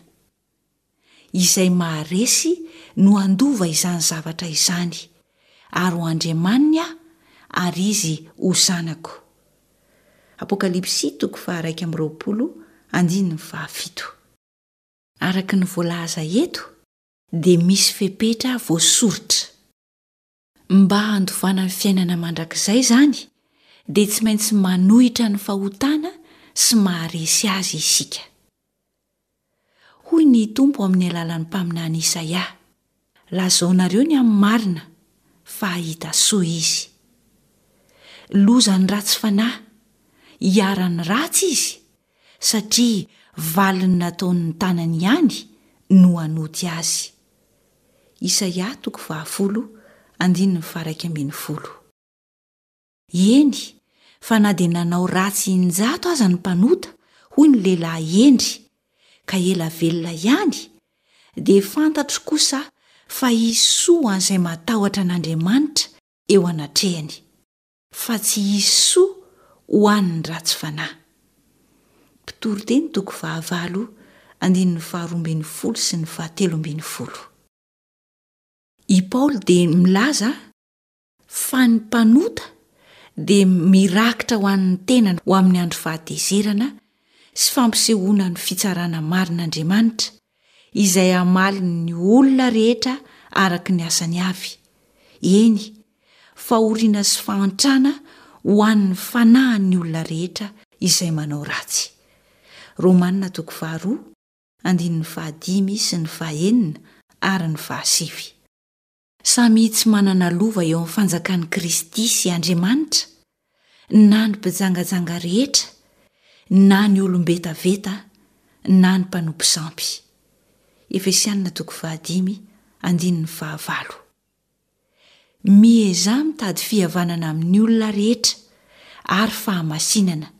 Izay maharesy no handova izany zavatra izany, ary ho Andriamaniny aho ary izy ho zanako. Apokalypsy toko faha-21 andininy fahafito. Araka ny voalaza eto dia misy fepetra voasoritra. Mba handovana ny fiainana mandrakizay izany dia tsy maintsy manohitra ny fahotana sy maharesy azy isika. Hoy ny Tompo amin'ny alalan'ny mpaminany Isaia, Lazaonareo ny amin'ny marina, fa hahita soa izy. Lozan'ny ratsy fanahy, hiharan'ny ratsy izy, satria valin'ny nataon'ny tanany ihany no hanoty azy. Isaia toko fahafolo andininy faha-11. Eny, fa na dia nanao ratsy injato aza ny mpanota, hoy ny lehilahy hendry, ka ela velona ihany, dia fantatro kosa fa hisy soa ho an'izay matahotra an'Andriamanitra eo anatrehany, fa tsy hisy soa ho an'ny ratsy fanahy. Mpitoriteny toko fahavalo andininy faharoa ambin'ny folo sy ny fahatelo ambin'ny folo. I Paoly dia milaza fa ny mpanota dia mirakitra ho an'ny tenany ho amin'ny andro fahatezerana sy fampisehoana ny fitsarana marin'Andriamanitra, izay hamaly ny olona rehetra araka ny asany avy, eny, fahoriana sy fahantrana ho an'ny fanahin'ny olona rehetra izay manao ratsy. Romana toko faharoa, andininy fahadimy sy ny fahenina ary ny fahasivy. Samy tsy manana lova eo amin'ny fanjakan'i Kristy sy Andriamanitra na ny mpijangajanga rehetra, na ny olom-betaveta, na ny mpanompo sampy. Efesianina toko fahadimy, andininy fahavalo. Miezaha mitady fihavanana amin'ny olona rehetra ary fahamasinana,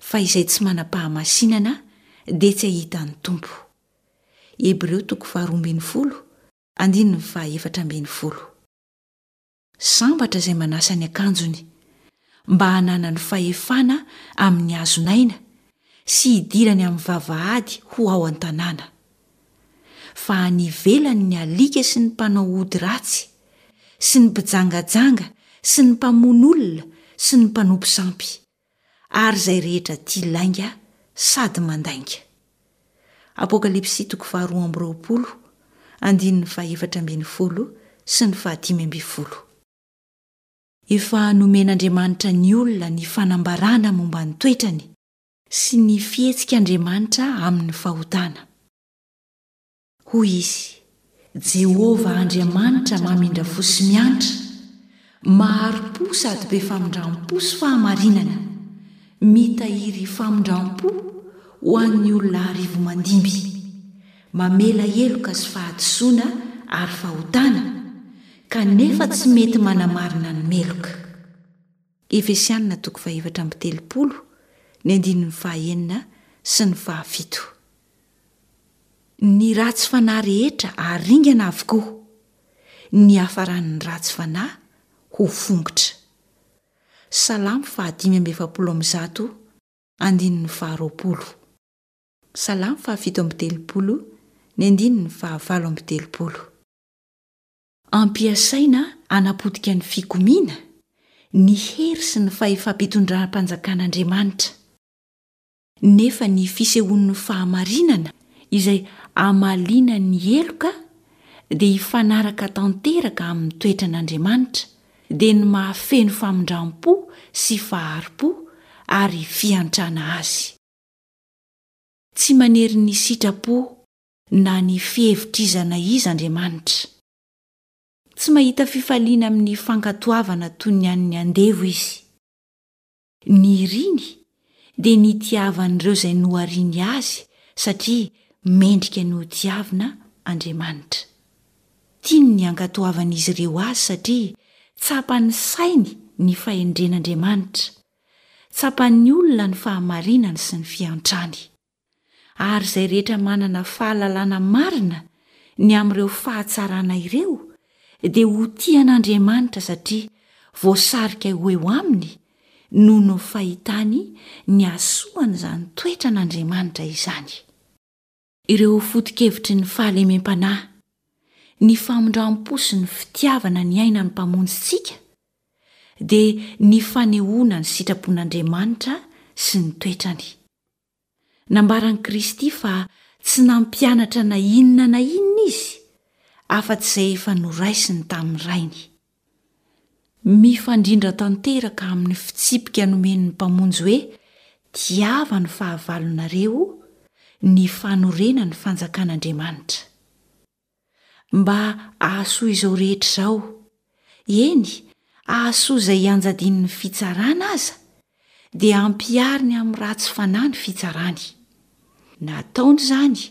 fa izay tsy manam-pahamasinana dia tsy hahita ny Tompo. Hebreo toko faharoa ambin'ny folo, Andininy faha-14. Sambatra izay manasa ny akanjony, mba hananany fahefana amin'ny hazon'aina sy hidirany amin'ny vavahady ho ao an-tanàna. Fa any ivelany ny alika sy ny mpanao ody ratsy, sy ny mpijangajanga sy ny mpamono olona sy ny mpanompo sampy, ary izay rehetra tia lainga sady mandainga. Apokalypsy toko faharoa amby roapolo, andininy faha-14 sy ny faha-15. Efa nomen'Andriamanitra ny olona ny fanambarana momba ny toetrany sy ny fihetsik'Andriamanitra amin'ny fahotana. Hoy izy, Jehovah Andriamanitra mamindra fo sy miantra, mahari-po sady be famindram-po sy fahamarinana, mitahiry famindram-po ho an'ny olona arivo mandimby, mamela heloka sy fahadisoana ary fahotana, kanefa tsy mety manamarina ny meloka. Efesianina toko faha-34, ny andininy fahaenina sy ny fahafito. Ny ratsy fanahy rehetra haringana avokoa, ny hiafaran'ny ratsy fanahy ho fongotra. Salamo faha-145, andininy faharoapolo. Salamo faha-37, ny andininy faha-38. Ampiasaina hanapotika ny fikomiana, ny hery sy ny fahefam-pitondram-panjakan'Andriamanitra. Nefa ny fisehoan'ny fahamarinana izay hamaliana ny heloka dia hifanaraka tanteraka amin'ny toetran'Andriamanitra, dia ny maha-feno famindram-po sy fahari-po ary fiantrana azy. Tsy manery ny sitrapo na ny fihevitr'iza na iza Andriamanitra. Tsy mahita fifaliana amin'ny fankatoavana toy ny an'ny andevo izy. Ny iriny dia ny hitiavan'ireo izay nohariany azy satria mendrika ny hotiavina Andriamanitra. Tiany ny hankatoavan'izy ireo azy satria tsapan'ny sainy ny fahendren'Andriamanitra, tsapan'ny olona ny fahamarinany sy ny fiantrany. Ary izay rehetra manana fahalalana marina ny amin'ireo fahatsarana ireo dia ho tia an'Andriamanitra satria voasarika ho eo aminy noho ny fahitany ny hasoan'izany toetran'Andriamanitra izany. Ireo foto-kevitry ny fahalemem-panahy, ny famindram-po sy ny fitiavana niainan'ny Mpamonjintsika dia ny fanehoana ny sitrapon'Andriamanitra sy ny toetrany. Nambaran'i Kristy fa tsy nampianatra na inona na inona izy afa-tsy izay efa noraisiny tamin'ny Rainy. Mifandrindra tanteraka amin'ny fitsipika nomen'ny Mpamonjy hoe tiava ny fahavalonareo ny fanorenan'ny fanjakan'Andriamanitra. Mba hahasoa izao rehetra izao, eny, hahasoa izay ianjadian'ny fitsarana aza, dia ampihariny amin'ny ratsy fanahy ny fitsarany. Nataony izany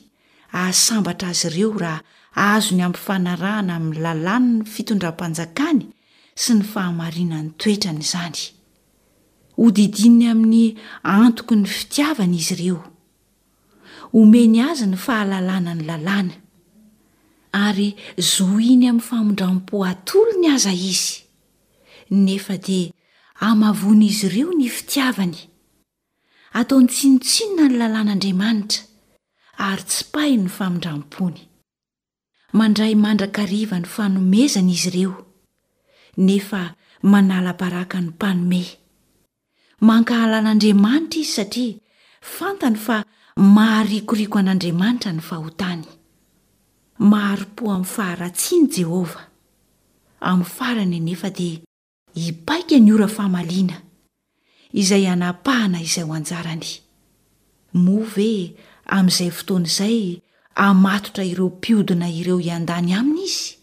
hahasambatra azy ireo raha azony ampifanarahana amin'ny lalàn'ny fitondram-panjakany sy ny fahamarinan'ny toetrany izany. Hodidininy amin'ny antoky ny fitiavany izy ireo. Omeny azy ny fahalalana ny lalàna. Ary zohiny amin'ny famindram-po atolony aza izy. Nefa dia hamavoan'izy ireo ny fitiavany. Ataony tsinontsinona ny lalàn'Andriamanitra, ary tsipahiny ny famindram-pony. Mandray mandrakariva ny fanomezana izy ireo, nefa manala baraka ny mpanome. Mankahala an'Andriamanitra izy satria fantany fa maharikoriko an'Andriamanitra ny fahotany. Mahari-po amin'ny faharatsiany Jehovah. Amin'ny farany anefa dia hipaika ny ora famaliana, izay hanapahana izay ho anjarany. Moa ve amin'izay fotoana izay hamatotra ireo mpiodina ireo hiandany aminy izy?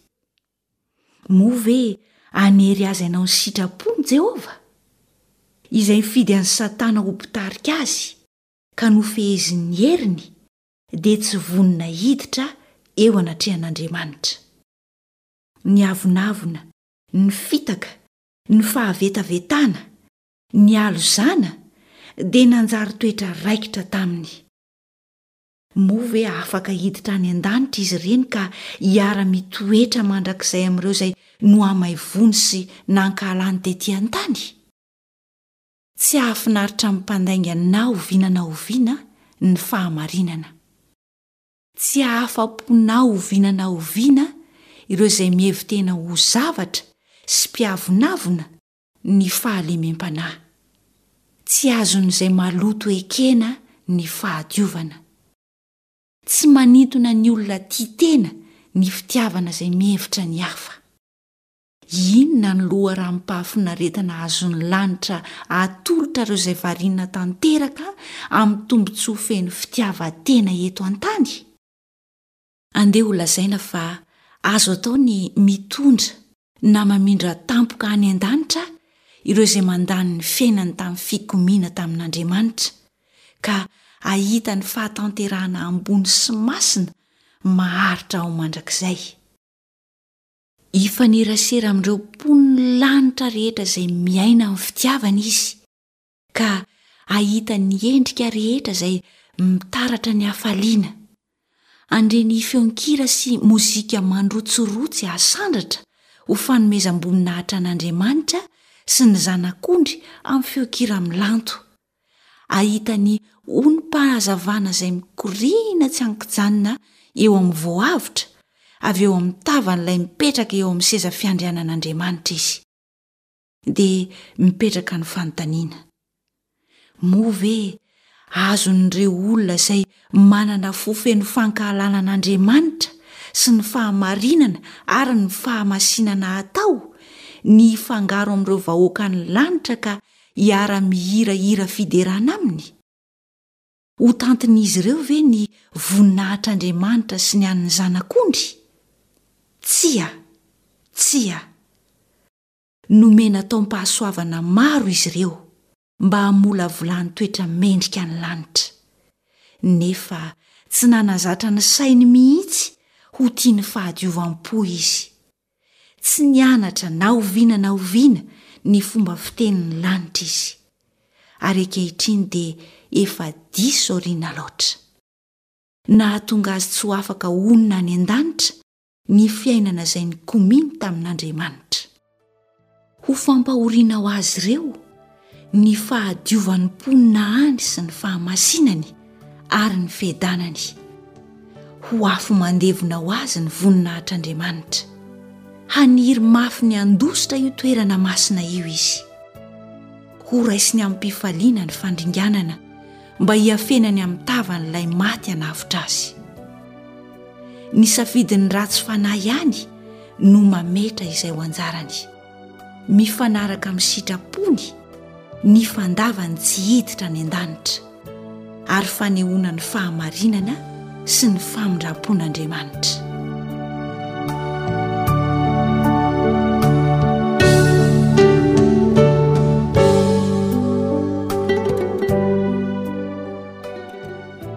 Moa ve hanery azy hanao ny sitrapony Jehovah? Izay nifidy an'i Satana ho mpitarika azy ka nofehezin'ny heriny dia tsy vonona hiditra eo anatrehan'Andriamanitra. Ny avonavona, ny fitaka, ny fahavetavetana, ny halozana dia nanjary toetra raikitra taminy. Moa ve afaka hiditra any an-danitra izy ireny ka hiara-mitoetra mandrakizay amin'ireo izay nohamaivoany sy nankahalany tetỳ an-tany? Tsy hahafinaritra amin'ny mpandainga na oviana na oviana ny fahamarinana. Tsy hahafa-po na oviana na oviana ireo izay mihevi-tena ho zavatra sy mpiavonavona ny fahalemem-panahy. Tsy azon'izay maloto ekena ny fahadiovana. Tsy manintona ny olona tia tena ny fitiavana izay mihevitra ny hafa. Inona no loharanom-pahafinaretana azon'ny lanitra atolotra ireo izay variana tanteraka amin'ny tombontsoa feno fitiavan-tena eto an-tany? Andeha holazaina fa azo atao ny mitondra na mamindra tampoka any an-danitra ireo izay mandany ny fiainany tamin'ny fikomiana tamin'Andriamanitra, ka hahita ny fahatanterahana ambony sy masina maharitra ao mandrakizay. Hifanerasera amin'ireo mponin'ny lanitra rehetra izay miaina amin'ny fitiavana izy, ka hahita ny endrika rehetra izay mitaratra ny hafaliana. Handre ny feon-kira sy mozika mandrotsirotsy hasandratra ho fanomezam-boninahitra an'Andriamanitra sy ny Zanak'ondry amin'ny feon-kira milanto. Hahita ny onim-pahazavana izay mikoriana tsy an-kijanona eo amin'ny voavotra avy eo amin'ny tavan'ilay mipetraka eo amin'ny seza fiandrianan'Andriamanitra izy. Dia mipetraka ny fanontaniana, Moa ve azon'ireo olona izay manana fo feno fankahalana an'Andriamanitra sy ny fahamarinana ary ny fahamasinana atao ny hifangaro amin'ireo vahoakan'ny lanitra ka hiara-mihira hira fiderana aminy? Ho tantin'izy ireo ve ny voninahitr'Andriamanitra sy ny an'ny Zanak'ondry? Tsia! Tsia! Nomena taom-pahasoavana maro izy ireo mba hamolavolany toetra mendrika ny lanitra. Nefa tsy nanazatra ny sainy mihitsy ho tia ny fahadiovam-po izy. Tsy nianatra na oviana na oviana ny fomba fitenin'ny lanitra izy. Ary ankehitriny dia efa diso aoriana loatra. Nahatonga azy tsy ho afaka honina any an-danitra ny fiainana izay nikomiany tamin'Andriamanitra. Ho fampahoriana ho azy ireo ny fahadiovan'ny mponina any sy ny fahamasinany ary ny fiadanany. Ho afo mandevona ho azy ny voninahitr'Andriamanitra. Haniry mafy ny handositra io toerana masina io izy. Horaisiny amim-pifaliana ny fandringanana mba hiafenany amin'ny tavan'ilay maty hanavotra azy. Ny safidin'ny ratsy fanahy ihany no mametra izay ho anjarany. Mifanaraka amin'ny sitrapony ny fandavany tsy hiditra any an-danitra, ary fanehoana ny fahamarinana sy ny famindram-pon'Andriamanitra.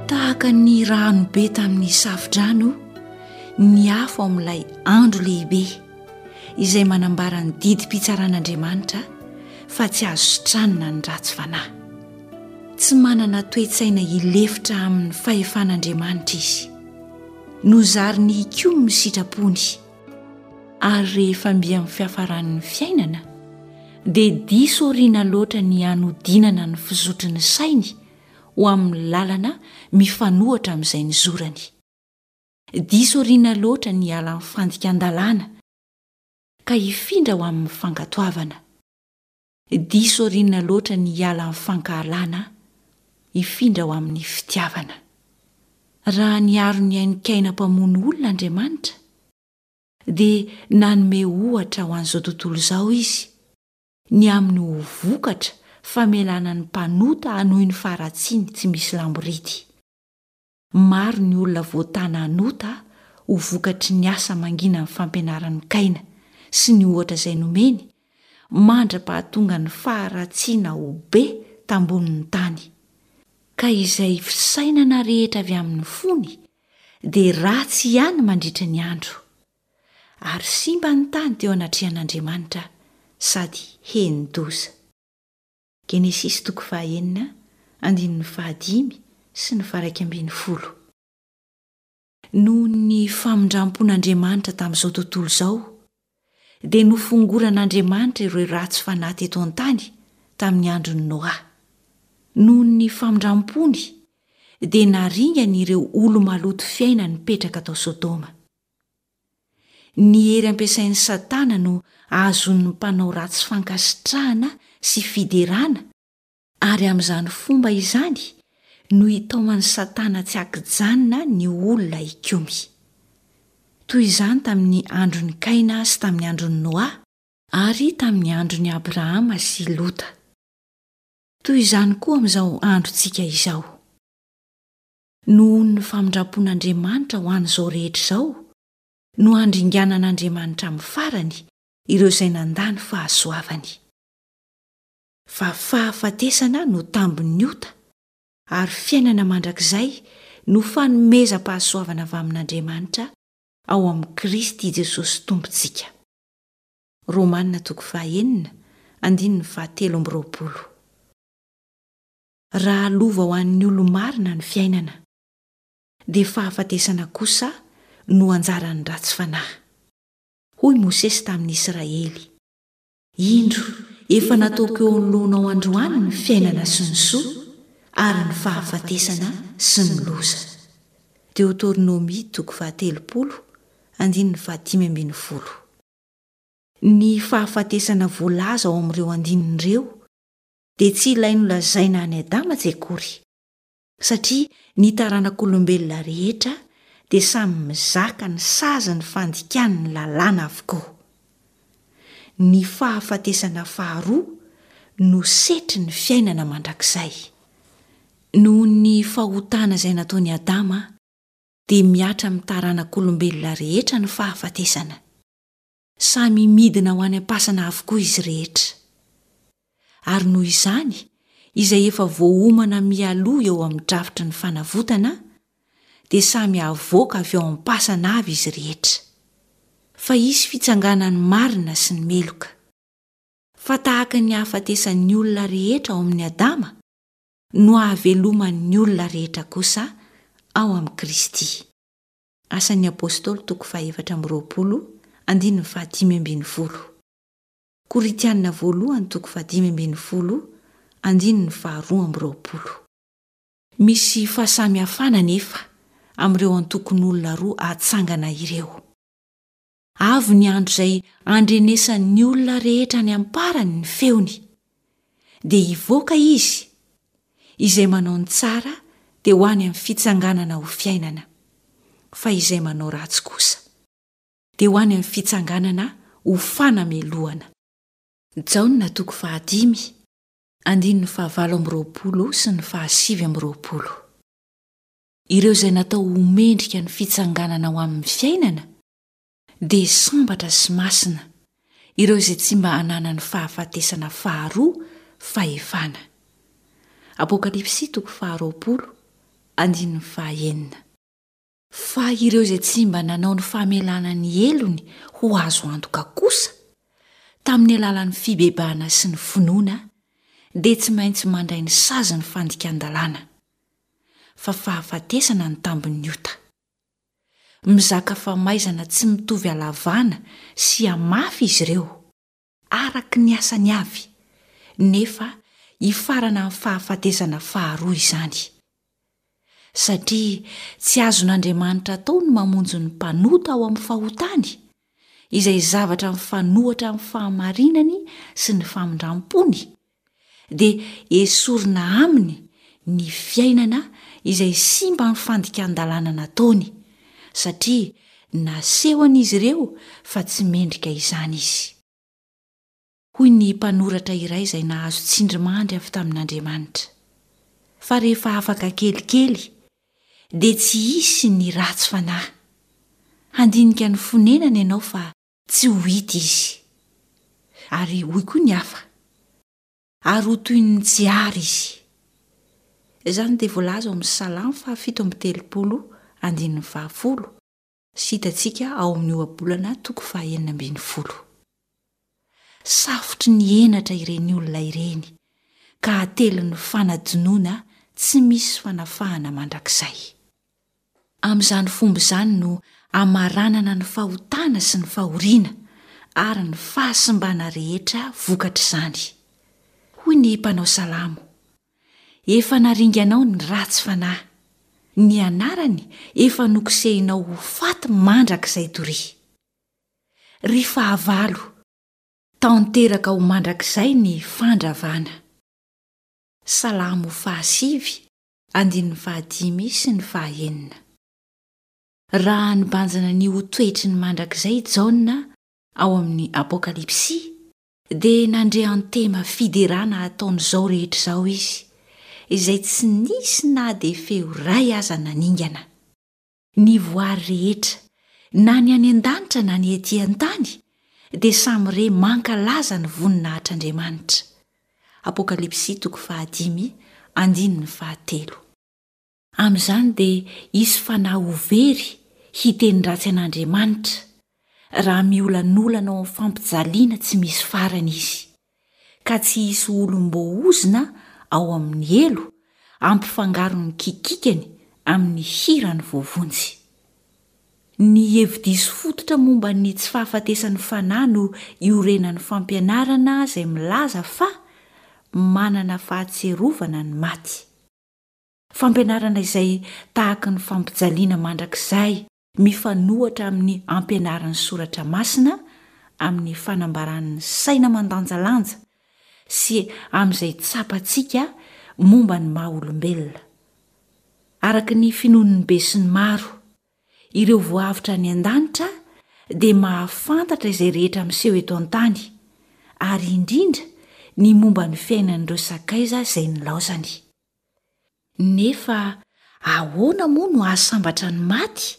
Tahaka ny rano be tamin'ny safodrano ny afo amin'ilay andro lehibe izay manambara ny didim-pitsaran'Andriamanitra fa tsy azo sitranina ny ratsy fanahy. Tsy manana toe-tsaina hilefitra amin'ny fahefan'Andriamanitra izy. Nozariny hikomy ny sitrapony, ary rehefa mby amin'ny fiafaran'ny fiainana dia diso aoriana loatra ny hanodinana ny fizotry ny sainy ho amin'ny lalana mifanohitra amin'izay nizorany. Diso aoriana loatra ny hiala amin'ny fandikan-dalàna ka hifindra ho amin'ny fankatoavana. Diso aoriana loatra ny hiala amin'ny fankahalana hifindra ho amin'ny fitiavana. Raha niaro ny ain'i Kaina mpamono olona Andriamanitra, dia nanome ohatra ho an'izao tontolo izao Izy, ny amin'ny ho vokatra famelana ny mpanota hanohy ny faharatsiany tsy misy lamboridy. Maro ny olona voatana hanota ho vokatry ny asa manginan'ny fampianaran'i Kaina sy ny ohatra izay nomeny, mandra-pahatonga ny faharatsiana ho be tambonin'ny tany, ka izay fisainana rehetra avy amin'ny fony dia ratsy ihany mandritra ny andro. Ary simba ny tany teo anatrehan'Andriamanitra sady heni-doza. Genesisy toko fahaenina andininy fahadimy sy ny faharaika ambinifolo. Noho ny famindram-pon'Andriamanitra tamin'izao tontolo izao, dia nofongoran'Andriamanitra ireo ratsy fanahy teto an-tany tamin'ny andron'i Noa. Noho ny famindram-pony, dia naringany ireo olo-maloto fiaina nipetraka tao Sodoma. Ny hery ampiasain'i Satana no ahazoan'ny mpanao ratsy fankasitrahana sy fiderana, ary amin'izany fomba izany no itaoman'i Satana tsy an-kijanona ny olona hikomy. Toy izany tamin'ny andron'i Kaina sy tamin'ny andron'i Noa, ary tamin'ny andron'i Abrahama sy Lota. Toy izany koa amin'izao androntsika izao. Noho ny famindram-pon'Andriamanitra ho an'izao rehetra izao no handringanan'Andriamanitra amin'ny farany ireo izay nandà ny fahasoavany. Fa fahafatesana no tambin'ny ota, ary fiainana mandrakizay no fanomezam-pahasoavana avy amin'Andriamanitra ao amin'i Kristy Jesosy Tompontsika. Romana toko fahaenina, andininy fahatelo amby roapolo. Raha lova ho an'ny olo-marina ny fiainana, dia fahafatesana kosa no anjaran'ny ratsy fanahy. Hoy Mosesy tamin'ny Israely, Indro, efa nataoko eo anoloanao androany ny fiainana sy ny soa, ary ny fahafatesana sy ny loza. Deotornomia toko fahatelopolo, andininy fahadimy ambin'ny folo. Ny fahafatesana voalaza ao amin'ireo andininy ireo dia tsy ilay nolazaina an'i Adama tsy akory, satria ny taranak'olombelona rehetra dia samy mizaka ny sazin'ny fandikany ny lalàna avokoa. Ny fahafatesana faharoa no setrin'ny fiainana mandrakizay. Noho ny fahotana izay nataon'i Adama dia mihatra amin'ny taranak'olombelona rehetra ny fahafatesana. Samy midina ho any am-pasana avokoa izy rehetra. Ary noho izany, izay efa voaomana mialoha eo amin'ny drafitry ny fanavotana, dia samy havoaka avy ao am-pasana avy izy rehetra. Fa hisy fitsanganan'ny marina sy ny meloka. Fa tahaka ny hahafatesan'ny olona rehetra ao amin'i Adama, no hahaveloman'ny olona rehetra kosa ao amin'i Kristy. Asan'ny Apostoly toko fahefatra amby roapolo andininy fahadimy ambin'ny folo. Korintiana voalohany toko fahadimy ambin'ny folo andininy faharoa amby roapolo. Misy fahasamihafana anefa amin'ireo antokon'olona roa atsangana ireo. Avy ny andro izay handrenesan'ny olona rehetra any am-parany ny feony. Dia hivoaka izy, izay manao ny tsara dia ho any amin'ny fitsanganana ho fiainana, fa izay manao ratsy kosa dia ho any amin'ny fitsanganana ho fanamelohana. Jaona toko fahadimy, andininy fahavalo amby 20 sy ny fahasivy amby 20. Ireo izay natao ho mendrika ny fitsanganana ho amin'ny fiainana dia sambatra sy masina, ireo izay tsy mba ananan'ny fahafatesana faharoa fahefana. Apokalypsy toko faharoapolo, andininy fahaenina. Fa ireo izay tsy mba nanao ny famelana ny helony ho azo antoka kosa, tamin'ny alalan'ny fibebahana sy ny finoana, dia tsy maintsy mandray ny sazin'ny fandikan-dalàna, fa fahafatesana ny tambin'ny ota. Mizaka famaizana tsy mitovy halavana sy hamafy izy ireo, araka ny asany avy, nefa hifarana amin'ny fahafatesana faharoa izany. Satria tsy azon'Andriamanitra atao ny mamonjy ny mpanota ao amin'ny fahotany, izay zavatra mifanohitra amin'ny fahamarinany sy ny famindram-pony, dia esorina aminy ny fiainana izay simba amin'ny fandikan-dalàna nataony, satria nasehon'izy ireo fa tsy mendrika izany izy. Hoy ny mpanoratra iray izay nahazo tsindrimandry avy tamin'Andriamanitra, Fa rehefa afaka kelikely, dia tsy hisy ny ratsy fanahy. Handinika ny fonenany ianao fa tsy ho hita izy. Ary hoy koa ny hafa, Ary ho toy ny tsy àry izy. Izany dia voalaza ao amin'ny Salamo fahafito amby telopolo andininy fahafolo sy hitantsika ao amin'ny Ohabolana toko fahenina ambin'ny folo. Safotry ny henatra ireny olona ireny ka atelin'ny fanadinoana tsy misy fanafahana mandrakizay. Amin'izany fomba izany no hamaranana ny fahotana sy ny fahoriana ary ny fahasimbana rehetra vokatr'izany. Hoy ny mpanao salamo, Efa naringanao ny ratsy fanahy, ny anarany efa nokosehinao ho faty mandrakizay doria. Ry fahavalo, tanteraka ho mandrakizay ny fandravana. Salamo fahasivy andininy fahadimy sy ny fahaenina. Raha nibanjina ny ho toetry ny mandrakizay i Jaona ao amin'ny Apokalypsy, dia nandre antema fiderana ataon'izao rehetra izao izy, izay tsy nisy na dia feo iray aza naningana. Ny voary rehetra, na ny any an-danitra na ny ety an-tany, dia samy re mankalaza ny voninahitr'Andriamanitra. Apokalypsy toko fahadimy andininy fahatelo. Amin'izany dia hisy fanahy ho very hiteny ratsy an'Andriamanitra, raha miolanolana ao amin'ny fampijaliana tsy misy farany izy, ka tsy hisy olom-boaozona ao amin'ny helo hampifangaro ny kikikany amin'ny hiran'ny voavonjy. Ny hevi-diso fototra momba ny tsy fahafatesan'ny fanahy no iorenan'ny fampianarana izay milaza fa manana fahatsiarovana ny maty. Fampianarana izay tahaky ny fampijaliana mandrakizay mifanohatra amin'ny ampianarin'ny Soratra Masina amin'ny fanambaran'ny saina mandanjalanja sy amin'izay tsapantsika momba ny maha-olombelona. Araka ny finoan'ny besinimaro, ireo voavotra any an-danitra dia mahafantatra izay rehetra miseho eto an-tany, ary indrindra ny momba ny fiainan'ireo sakaiza izay nilaozany. Nefa ahoana moa no hahasambatra ny maty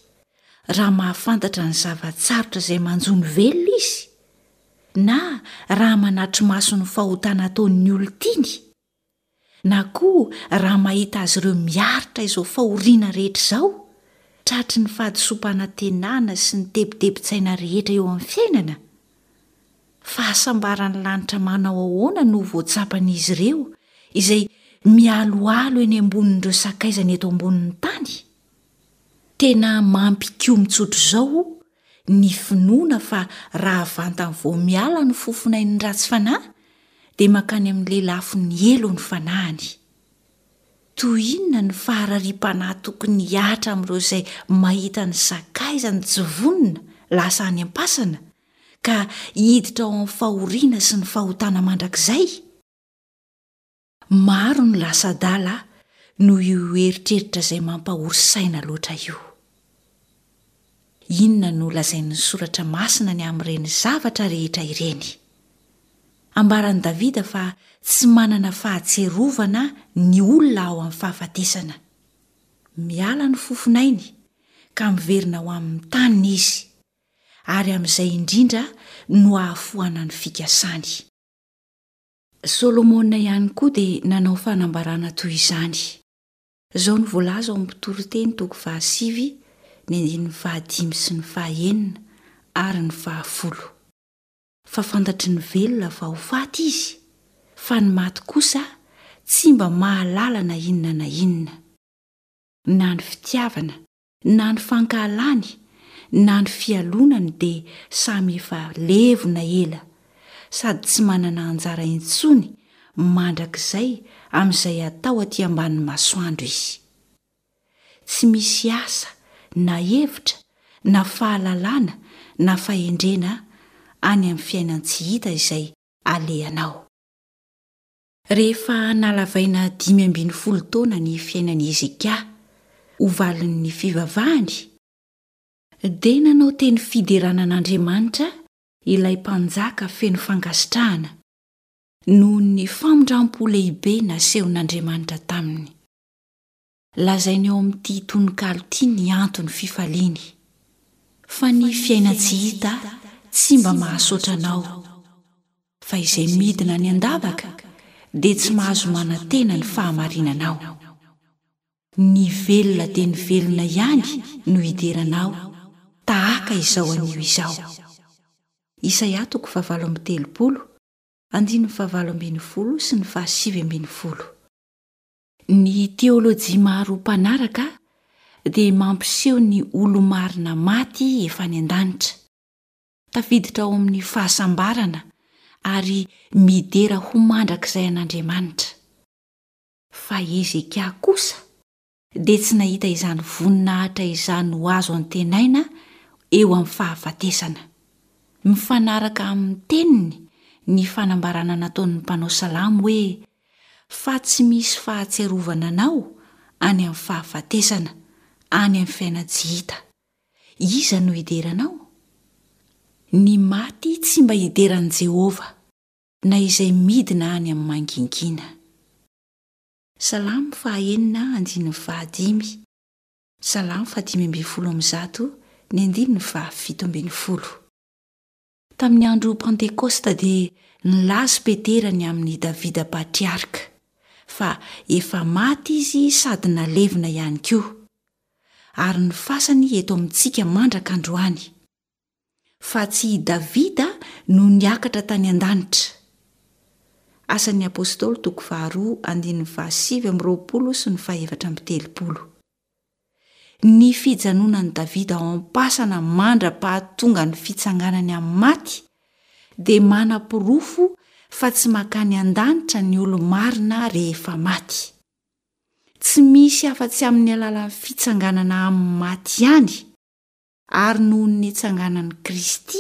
raha mahafantatra ny zava-tsarotra izay manjo ny velona izy, na raha manatri-maso ny fahotana ataon'ny olon-tiany? na koa raha mahita azy ireo miaritra izao fahoriana rehetra izao, tratry ny fahadisoam-panantenana sy ny tebitebin-tsaina rehetra eo amin'ny fiainana? Fahasambaran'ny lanitra manao ahoana no voatsapan'izy ireo izay mialoalo eny ambonin'ireo sakaizany eto ambonin'ny tany? Tena mampikomy tsotr'izao ny finoana fa raha vantany vao miala ny fofonain'ny ratsy fanahy dia mankany amin'ny lelafon'ny helo ny fanahiny. Toy inona ny faharariam-panahy tokony hihatra amin'ireo izay mahita ny sakaizany tsy vonona lasa any am-pasana ka hiditra ao amin'ny fahoriana sy ny fahotana mandrakizay? Maro ny lasa adala noho io eritreritra izay mampahory saina loatra io. Inona no lazain'ny Soratra Masina ny amin'ireny zavatra rehetra ireny? Ambaran'i Davida fa tsy manana fahatsiarovana ny olona ao amin'ny fahafatesana. Miala ny fofon'ainy ka miverina ho amin'ny taniny izy, ary amin'izay indrindra no ahafoanan'ny fikasany. Solomona ihany koa dia nanao fanambarana toy izany. Izao no voalaza ao amin'ny Mpitoriteny toko fahasivy, ny andininy fahadimy sy ny fahenina ary ny fahafolo. Fa fantatry ny velona fa ho faty izy, fa ny maty kosa tsy mba mahalala na inona na inona. Na ny fitiavana, na ny fankahalany, na ny fialonany dia samy efa levona ela, sady tsy manana anjara intsony mandrakizay amin'izay atao aty ambanin'ny masoandro izy. Tsy misy asa na hevitra na fahalalana na fahendrena any amin'ny fiainan-tsy hita izay alehanao. Rehefa nalavaina 15 taona ny fiainan'i Hezekia ho valin'ny fivavahany, dia nanao teny fiderana an'Andriamanitra ilay mpanjaka feno fankasitrahana noho ny famindram-po lehibe nasehon'Andriamanitra taminy. Lazainy ao amin'ity tononkalo ity ny anton'ny fifaliany, Fa ny fiainan-tsy hita tsy mba mahasoatra anao, fa izay midina any an-davaka dia tsy mahazo manantena ny fahamarinanao. Ny velona dia ny velona ihany no hidera anao tahaka izao anio izao. Isaia toko fahavalo amby telopolo, andininy fahavalo ambin'ny folo sy ny fahasivy ambin'ny folo. Ny teôlôjia maro mpanaraka dia mampiseho ny olo-marina maty efa any an-danitra, tafiditra ao amin'ny fahasambarana ary midera ho mandrakizay an'Andriamanitra. Fa Hezekia kosa dia tsy nahita izany voninahitra izany ho azo antenaina eo amin'ny fahafatesana. Mifanaraka amin'ny teniny ny fanambarana nataon'ny mpanao salamo hoe, Fa tsy misy fahatsiarovana anao any amin'ny fahafatesana, any amin'ny fiainan-tsy hita. Iza no hidera anao? Ny maty tsy mba hidera an'i Jehovah, na izay midina any amin'ny mangingina. Salamo fahaenina andininy fahadimy, Salamo faha-115 ny andininy faha-17. Tamin'ny andro Pantekosta dia nilaza Petera ny amin'i Davida patriarka, fa efa maty izy sady nalevina ihany koa, ary ny fasany eto amintsika mandraka androany. Fa tsy i Davida no niakatra tany an-danitra. Asan'ny Apostoly toko faharoa andininy faha-29 sy ny faha-34. Ny fijanonan'i Davida ao am-pasana mandra-pahatonga ny fitsanganany amin'ny maty dia manaporofo fa tsy mankany an-danitra ny olo-marina rehefa maty. Tsy misy afa-tsy amin'ny alalan'ny fitsanganana amin'ny maty ihany, ary noho ny nitsanganan'i Kristy,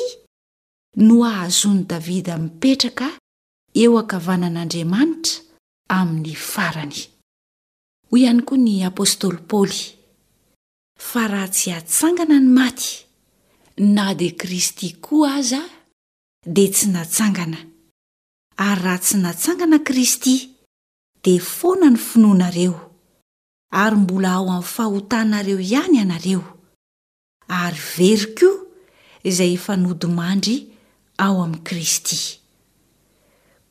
no ahazoan'i Davida mipetraka eo ankavanan'Andriamanitra amin'ny farany. Hoy ihany koa ny apostoly Paoly, Fa raha tsy hatsangana ny maty, na dia Kristy koa aza dia tsy natsangana, ary raha tsy natsangana Kristy, dia foana ny finoanareo, ary mbola ao amin'ny fahotanareo ihany ianareo. ary very koa izay efa nodimandry ao amin'i Kristy.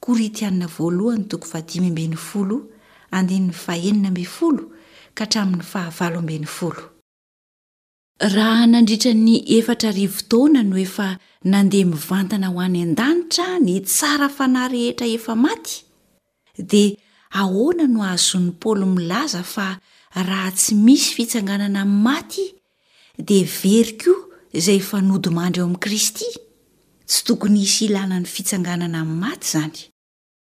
Korintiana voalohany toko faha-15 andininy faha-16 ka hatramin'ny faha-18. Raha nandritra ny 4000 taona no efa nandeha mivantana ho any an-danitra ny tsara fanahy rehetra efa maty, Dia ahoana no ahazoan'i Paoly milaza fa raha tsy misy fitsanganana amin'ny maty dia very koa izay efa nodimandry ao amin'i Kristy? Tsy tokony hisy ilana ny fitsanganana amin'ny maty izany.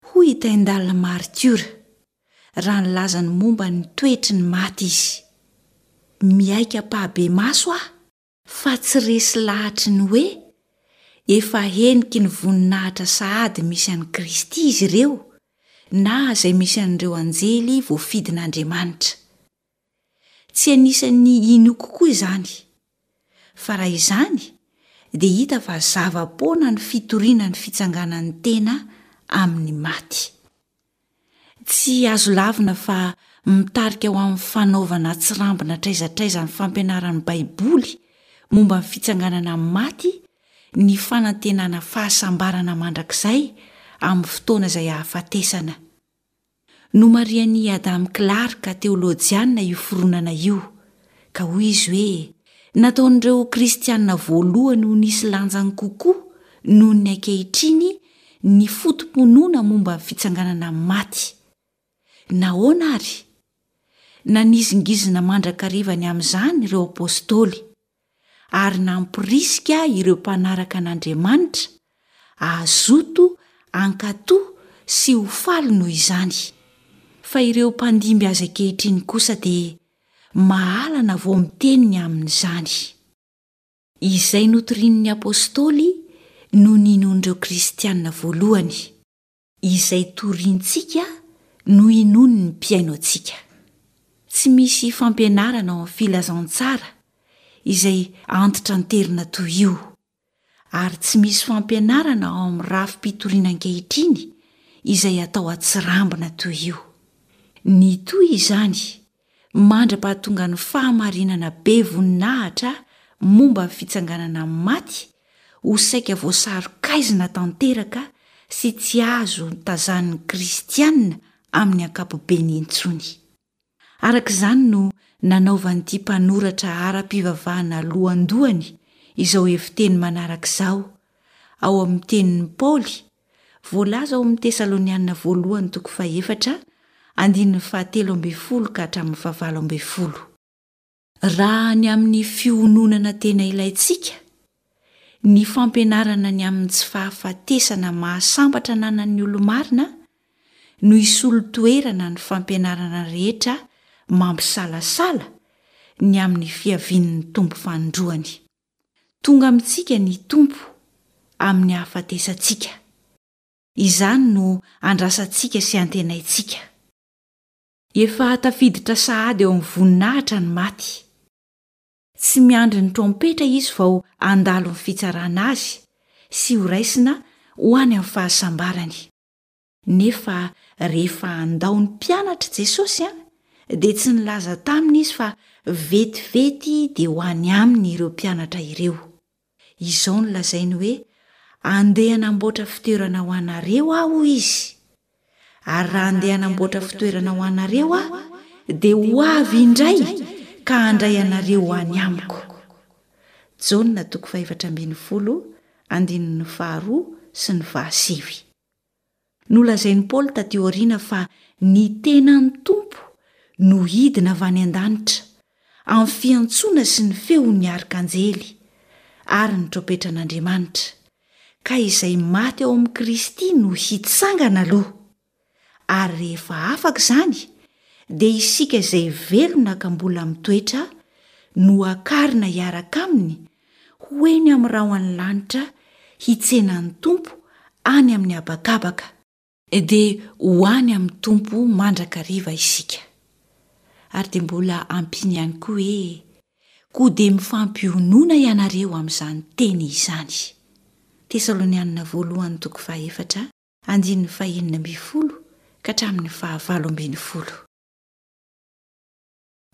Hoy i Tyndale maritiora, raha nilaza ny momba ny toetry ny maty izy, Miaiky ampahabemaso aho fa tsy resy lahatry ny hoe efa heniky ny voninahitra sahady misy an'i Kristy izy ireo na izay misy an'ireo anjely voafidin'Andriamanitra. Tsy anisan'ny inoako koa izany. Fa raha izany, dia hita fa zava-poana ny fitoriana ny fitsanganan'ny tena amin'ny maty. Tsy azo lavina fa mitarika ho amin'ny fanaovana tsirambina hatraiza hatraiza ny fampianaran'ny Baiboly momba ny fitsanganana amin'ny maty ny fanantenana fahasambarana mandrakizay amin'ny fotoana izay hahafatesana. Nomarihan'i Adam Clarke teolojianina io fironana io, ka hoy izy hoe, Nataon'ireo Kristianina voalohany ho nisy lanjany kokoa noho ny ankehitriny ny foto-pinoana momba ny fitsanganana amin'ny maty. Nahoana àry? Nanizingizina mandrakariva ny amin'izany ireo apostoly, ary nampirisika ireo mpanaraka an'Andriamanitra hazoto hankatò sy ho faly noho izany. Fa ireo mpandimby azy ankehitriny kosa dia mahalana vao miteny ny amin'izany. Izay notorian'ny apostoly no ninoan'ireo kristiana voalohany. Izay torintsika no inoan'ny mpihaino antsika. Tsy misy fampianarana ao amin'ny filazantsara izay antitranterina toy io, ary tsy misy fampianarana ao amin'ny rafi-pitoriana ankehitriny izay atao an-tsirambina toy io. Nitohy izany mandra-pahatongan'ny fahamarinana be voninahitra momba ny fitsanganana amin'ny maty ho saika voasaron-kaizina tanteraka sy tsy azo tazanin'ny kristiana amin'ny ankapobeny intsony. Araka izany no nanaovan'ity mpanoratra ara-pivavahana lohandohany izao heviteny manaraka izao ao amin'ny tenin'i Paoly voalaza ao amin'ny Tesaloniana voalohany toko fahefatra andininy fahatelo ambin'ny folo ka hatramin'ny fahavalo ambin'ny folo. Raha ny amin'ny fiononana tena ilaintsika, ny fampianarana ny amin'ny tsy fahafatesana mahasambatra ananan'ny olo-marina no hisolo toerana ny fampianarana rehetra mampisalasala ny amin'ny fiavian'ny Tompo fanindroany. Tonga amintsika ny Tompo amin'ny hahafatesantsika. Izany no andrasantsika sy antenaintsika. Efa tafiditra sahady eo amin'ny voninahitra ny maty. Tsy miandry ny trompetra izy vao handalo ny fitsarana azy sy horaisina ho any amin'ny fahasambarany. Nefa rehefa handao ny mpianatra Jesosy dia tsy nilaza taminy izy fa vetivety dia ho any aminy ireo mpianatra ireo. Izao no lazainy hoe, Andeha hanamboatra fitoerana ho anareo aho, hoy izy. Ary raha andeha hanamboatra fitoerana ho anareo aho, dia ho avy indray ka handray anareo ho any amiko. Jaona toko fahefatra ambin'ny folo, andininy faharoa sy ny fahasivy. Nolazain'i Paoly tatỳ aoriana fa ny tenan'ny Tompo no hidina avy any an-danitra, amin'ny fiantsoana sy ny feon'ny arkanjely ary ny trompetran'Andriamanitra, ka izay maty ao amin'i Kristy no hitsangana aloha. Ary rehefa afaka izany, dia isika izay velona ka mbola mitoetra no hakarina hiaraka aminy ho eny amin'ny rahon'ny lanitra hitsena ny Tompo any amin'ny habakabaka, dia ho any amin'ny Tompo mandrakariva isika. Ary dia mbola ampiany ihany koa hoe, Koa dia mifampionona ianareo amin'izany teny izany. Tesalonianina voalohany toko fahefatra, andininy fahenina ambin'ny folo ka hatramin'ny fahavalo ambin'ny folo.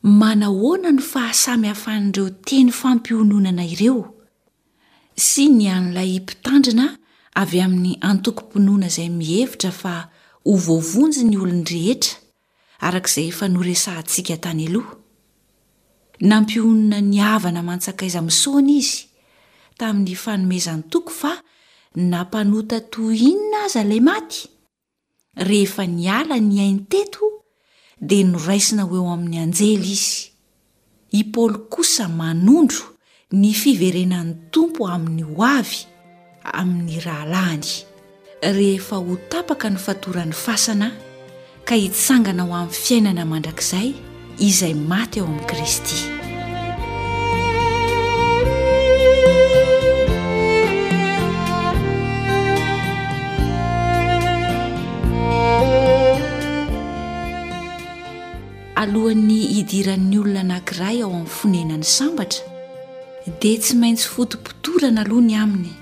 Manahoana no fahasamihafan'ireo teny fampiononana ireo sy ny an'ilay mpitandrina avy amin'ny antokom-pinoana izay mihevitra fa ho voavonjy ny olon-drehetra, araka izay efa noresahantsika tany aloha? Nampionona ny havana aman-tsakaiza misaona izy tamin'ny fanomezan-toky fa na mpanota toy inona aza ilay maty, Rehefa niala ny ainy teto dia noraisina ho eo amin'ny anjely izy. I Paoly kosa manondro ny fiverenan'ny Tompo amin'ny ho avy amin'ny rahalahiny, rehefa ho tapaka ny fatoran'ny fasana ka hitsangana ho amin'ny fiainana mandrakizay izay maty ao amin'i Kristy. Alohan'ny hidiran'ny olona anankiray ao amin'ny fonenany sambatra dia tsy maintsy fotopotorana aloha ny aminy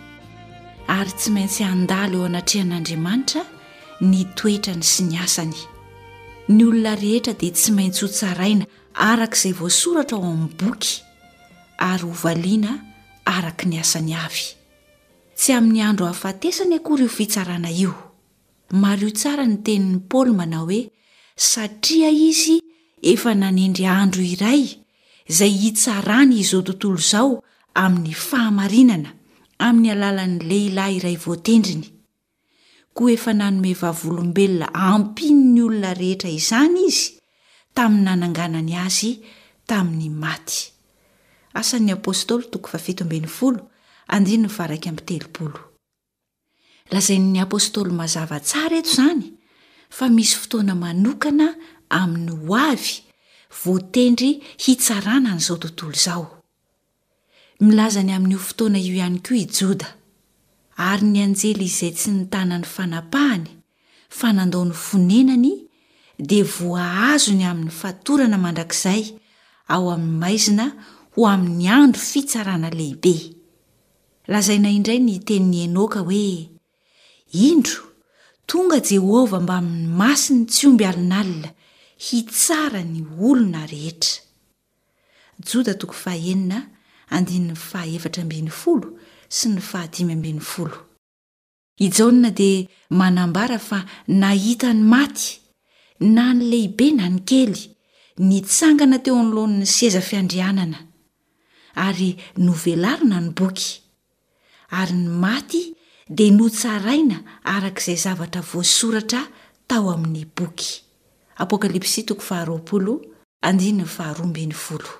ary tsy maintsy handalo eo anatrehan'Andriamanitra. ny toetrany sy ny asany. Ny olona rehetra dia tsy maintsy hotsaraina araka izay voasoratra ao amin'ny boky ary hovaliana araka ny asany avy. Tsy amin'ny andro hahafatesany akory io fitsarana io. Mariho tsara ny tenin'i Paoly manao hoe satria izy efa nanendry andro iray izay hitsarany izao tontolo izao amin'ny fahamarinana amin'ny alalan'ny lehilahy iray voatendriny. Koa efa nanome vavolombelona hampino ny olona rehetra izany izy tamin'ny nananganany azy tamin'ny maty. Asan'ny Apostoly toko fahafito ambin'ny folo, andininy faha-31. Lazain'ny apostoly mazava tsara eto izany fa misy fotoana manokana amin'ny ho avy voatendry hitsarana an'izao tontolo izao. Milaza ny amin'io fotoana io ihany koa i Joda. Ary ny anjely izay tsy nitana ny fanapahany fa nandao ny fonenany dia voahazony amin'ny fatorana mandrakizay ao amin'ny maizina ho amin'ny andro fitsarana lehibe. Lazaina indray ny tenin'i Enoka hoe, Indro, tonga Jehovah mbamin'ny masiny tsy omby alinalina hitsara ny olona rehetra. Joda toko fahenina andininy fahaefatra ambin'ny folo sy ny fahadimy ambin'ny folo. I Jaona dia manambara fa nahita ny maty, na ny lehibe na ny kely, nitsangana teo anoloan'ny seza fiandrianana, ary novelarina ny boky, ary ny maty dia notsaraina araka izay zavatra voasoratra tao amin'ny boky. Apokalypsy toko faharoapolo, andininy faharoa ambin'ny folo.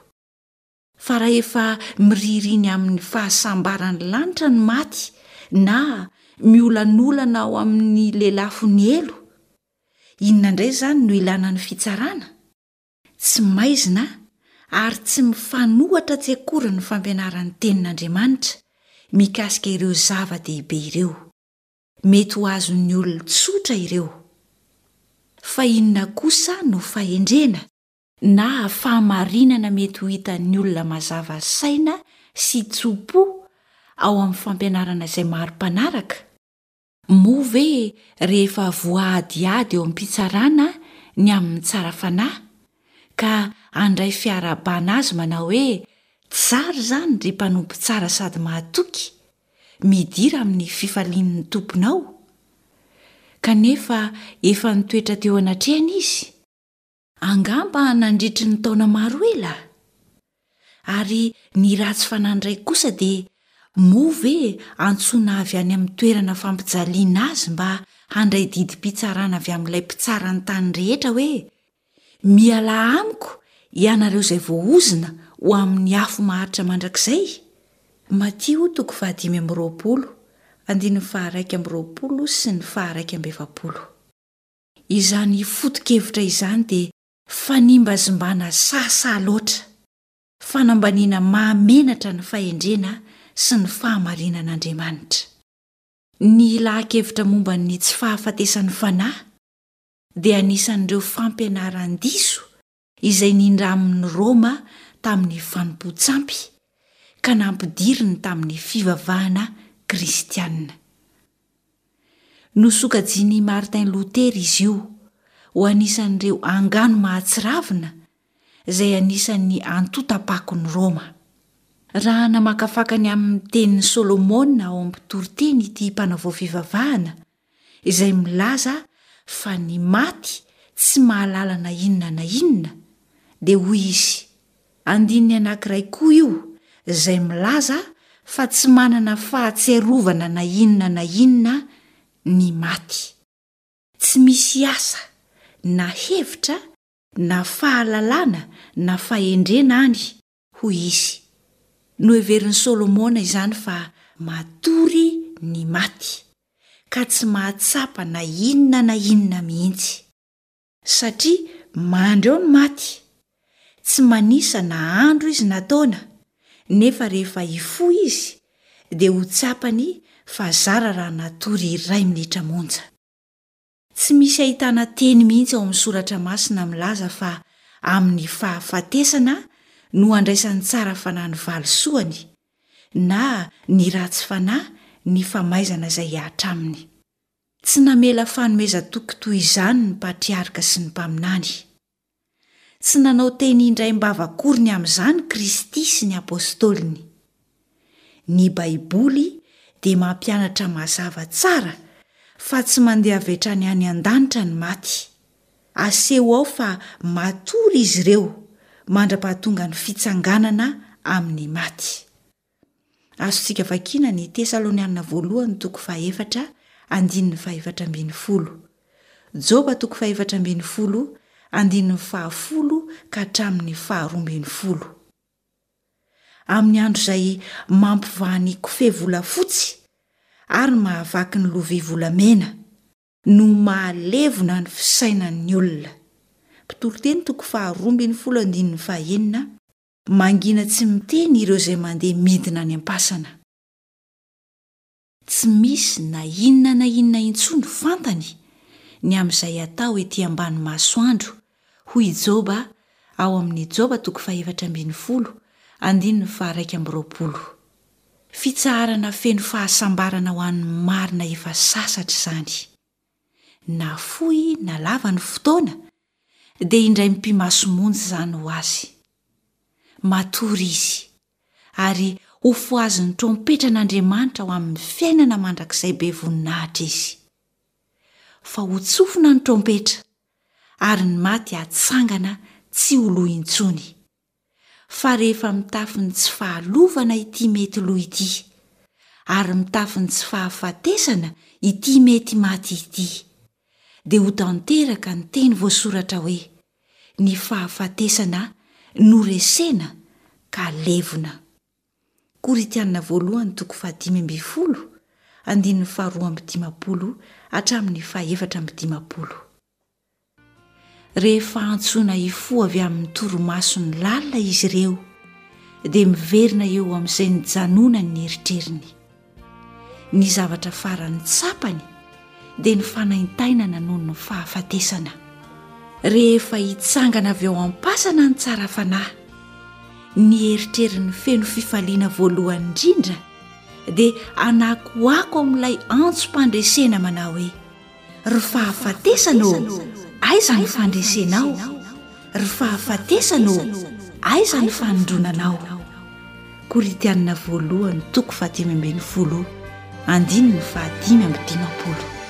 Fa rahefa miririny amin'ny fahasambaran'ny lanitra ny maty na miolanolana ao amin'ny lelafon'ny helo, inona indray izany no ilana ny fitsarana? Tsy maizina ary tsy mifanohatra tsy akory ny fampianaran'ny Tenin'Andriamanitra mikasika ireo zava-dehibe ireo. Mety ho azon'ny olona tsotra ireo. Fa inona kosa no fahendrena? na fahamarinana mety ho hitan'ny olona mazava saina sy tso-po ao amin'ny fampianarana izay maro mpanaraka? Moa ve rehefa voahadihady eo am-pitsarana ny amin'ny tsara fanahy, ka handray fiarahabana azy manao hoe, Tsara izany, ry mpanompo tsara sady mahatoky, midira amin'ny fifalian'ny tomponao? Kanefa efa nitoetra teo anatrehany izy? Angamba nandritry ny taona maro ela? Ary ny ratsy fanahy indray kosa dia moa ve antsoina avy any amin'ny toerana fampijaliana azy mba handray didim-pitsarana avy amin'ilay Mpitsara ny tany rehetra hoe, Mialà amiko ianareo izay voaozona ho amin'ny afo maharitra mandrakizay? Matio toko fahadimy amby roapolo, andininy faha-21 sy ny faha-41. Izany foto-kevitra izany dia fanimbazimbana sahasaha loatra, fanambaniana mahamenatra ny fahendrena sy ny fahamarinan'Andriamanitra. Ny laha-kevitra momba ny tsy fahafatesan'ny fanahy dia anisan'ireo fampianaran-diso izay nindramin'i Roma tamin'ny fanompoan-tsampy ka nampidiriny tamin'ny fivavahana kristiana. Nosokajian'i Martin Lotera izy io ho anisan'ireo angano mahatsiravina izay anisan'ny antontam-pakon'i Roma. Raha namakafaka ny amin'ny tenin'i Solomona ao amin'ny Mpitoriteny ity mpanavao fivavahana izay milaza fa ny maty tsy mahalala na inona na inona, dia hoy izy, Andininy anankiray koa io izay milaza fa tsy manana fahatsiarovana na inona na inona ny maty. Tsy misy asa na hevitra na fahalalana na fahendrena any, hoy izy. Noheverin'i Solomona izany fa matory ny maty, ka tsy mahatsapa na inona na inona mihitsy. Satria mandry ao ny maty. Tsy manisa na andro izy na taona, nefa rehefa hifoha izy dia ho tsapany fa zara raha natory iray minitra monja. Tsy misy ahitana teny mihitsy ao amin'ny Soratra Masina milaza fa amin'ny fahafatesana no andraisan'ny tsara fanahy ny valisoany, na ny ratsy fanahy ny famaizana izay hihatra aminy. Tsy namela fanomezan-toky toy izany ny patriarka sy ny mpaminany. Tsy nanao teny indraim-bava akory ny amin'izany Kristy sy ny apostoliny. Ny Baiboly dia mampianatra mazava tsara fa tsy mandeha avy hatrany any an-danitra ny maty. Aseho ao fa matory izy ireo mandra-pahatonga ny fitsanganana amin'ny maty. Azontsika vakiana ny Tesalonianina Voalohany toko fahefatra andininy fahefatra ambinifolo, Joba toko fahefatra ambinifolo andininy fahafolo ka hatramin'ny faharoa ambinifolo. Amin'ny andro izay mampivaha ny kofehy volafotsy ary mahavaky ny lovia volamena, no mahalevona ny fisainan'ny olona. Mpitoriteny toko faharoa ambinifolo andininy fahenina Mangina tsy miteny ireo izay mandeha midina any am-pasana. Tsy misy na inona na inona intsony fantany ny amin'izay atao ety ambany masoandro, hoy i Joba ao amin'ny Joba toko fahefatra ambinifolo, andininy faha-21. Fitsaharana feno fahasambarana ho an'ny marina efa sasatra izany. Na fohy na lava ny fotoana, dia indray mipi-maso monja izany ho azy. Matory izy, ary hofohazin'ny trompetran'Andriamanitra ho amin'ny fiainana mandrakizay be voninahitra izy. Fa hotsofina ny trompetra, ary ny maty hatsangana tsy ho lo intsony. Fa rehefa mitafy ny tsy fahalovana ity mety lo ity, ary mitafy ny tsy fahafatesana ity mety maty ity, dia ho tanteraka ny teny voasoratra hoe, Ny fahafatesana noresena ka levona. Korintiana voalohany toko fahadimy ambinifolo, andininy faharoa amby dimampolo hatramin'ny fahefatra amby dimampolo. Rehefa antsoina hifoha avy amin'ny torimasony lalina izy ireo, dia miverina eo amin'izay nijanonany ny eritreriny. Ny zavatra farany tsapany dia ny fanaintainana noho ny fahafatesana. Rehefa hitsangana avy ao am-pasana ny tsara fanahy, ny eritreriny feno fifaliana voalohany indrindra dia hanakoako amin'ilay antsom-pandresena manao hoe, Ry fahafatesana ô, aiza ny fandresenao? Ry fahafatesana ô, aiza ny fanindronanao? Korintiana voalohany toko fahadimy ambinifolo andininy fahadimy amby dimampolo.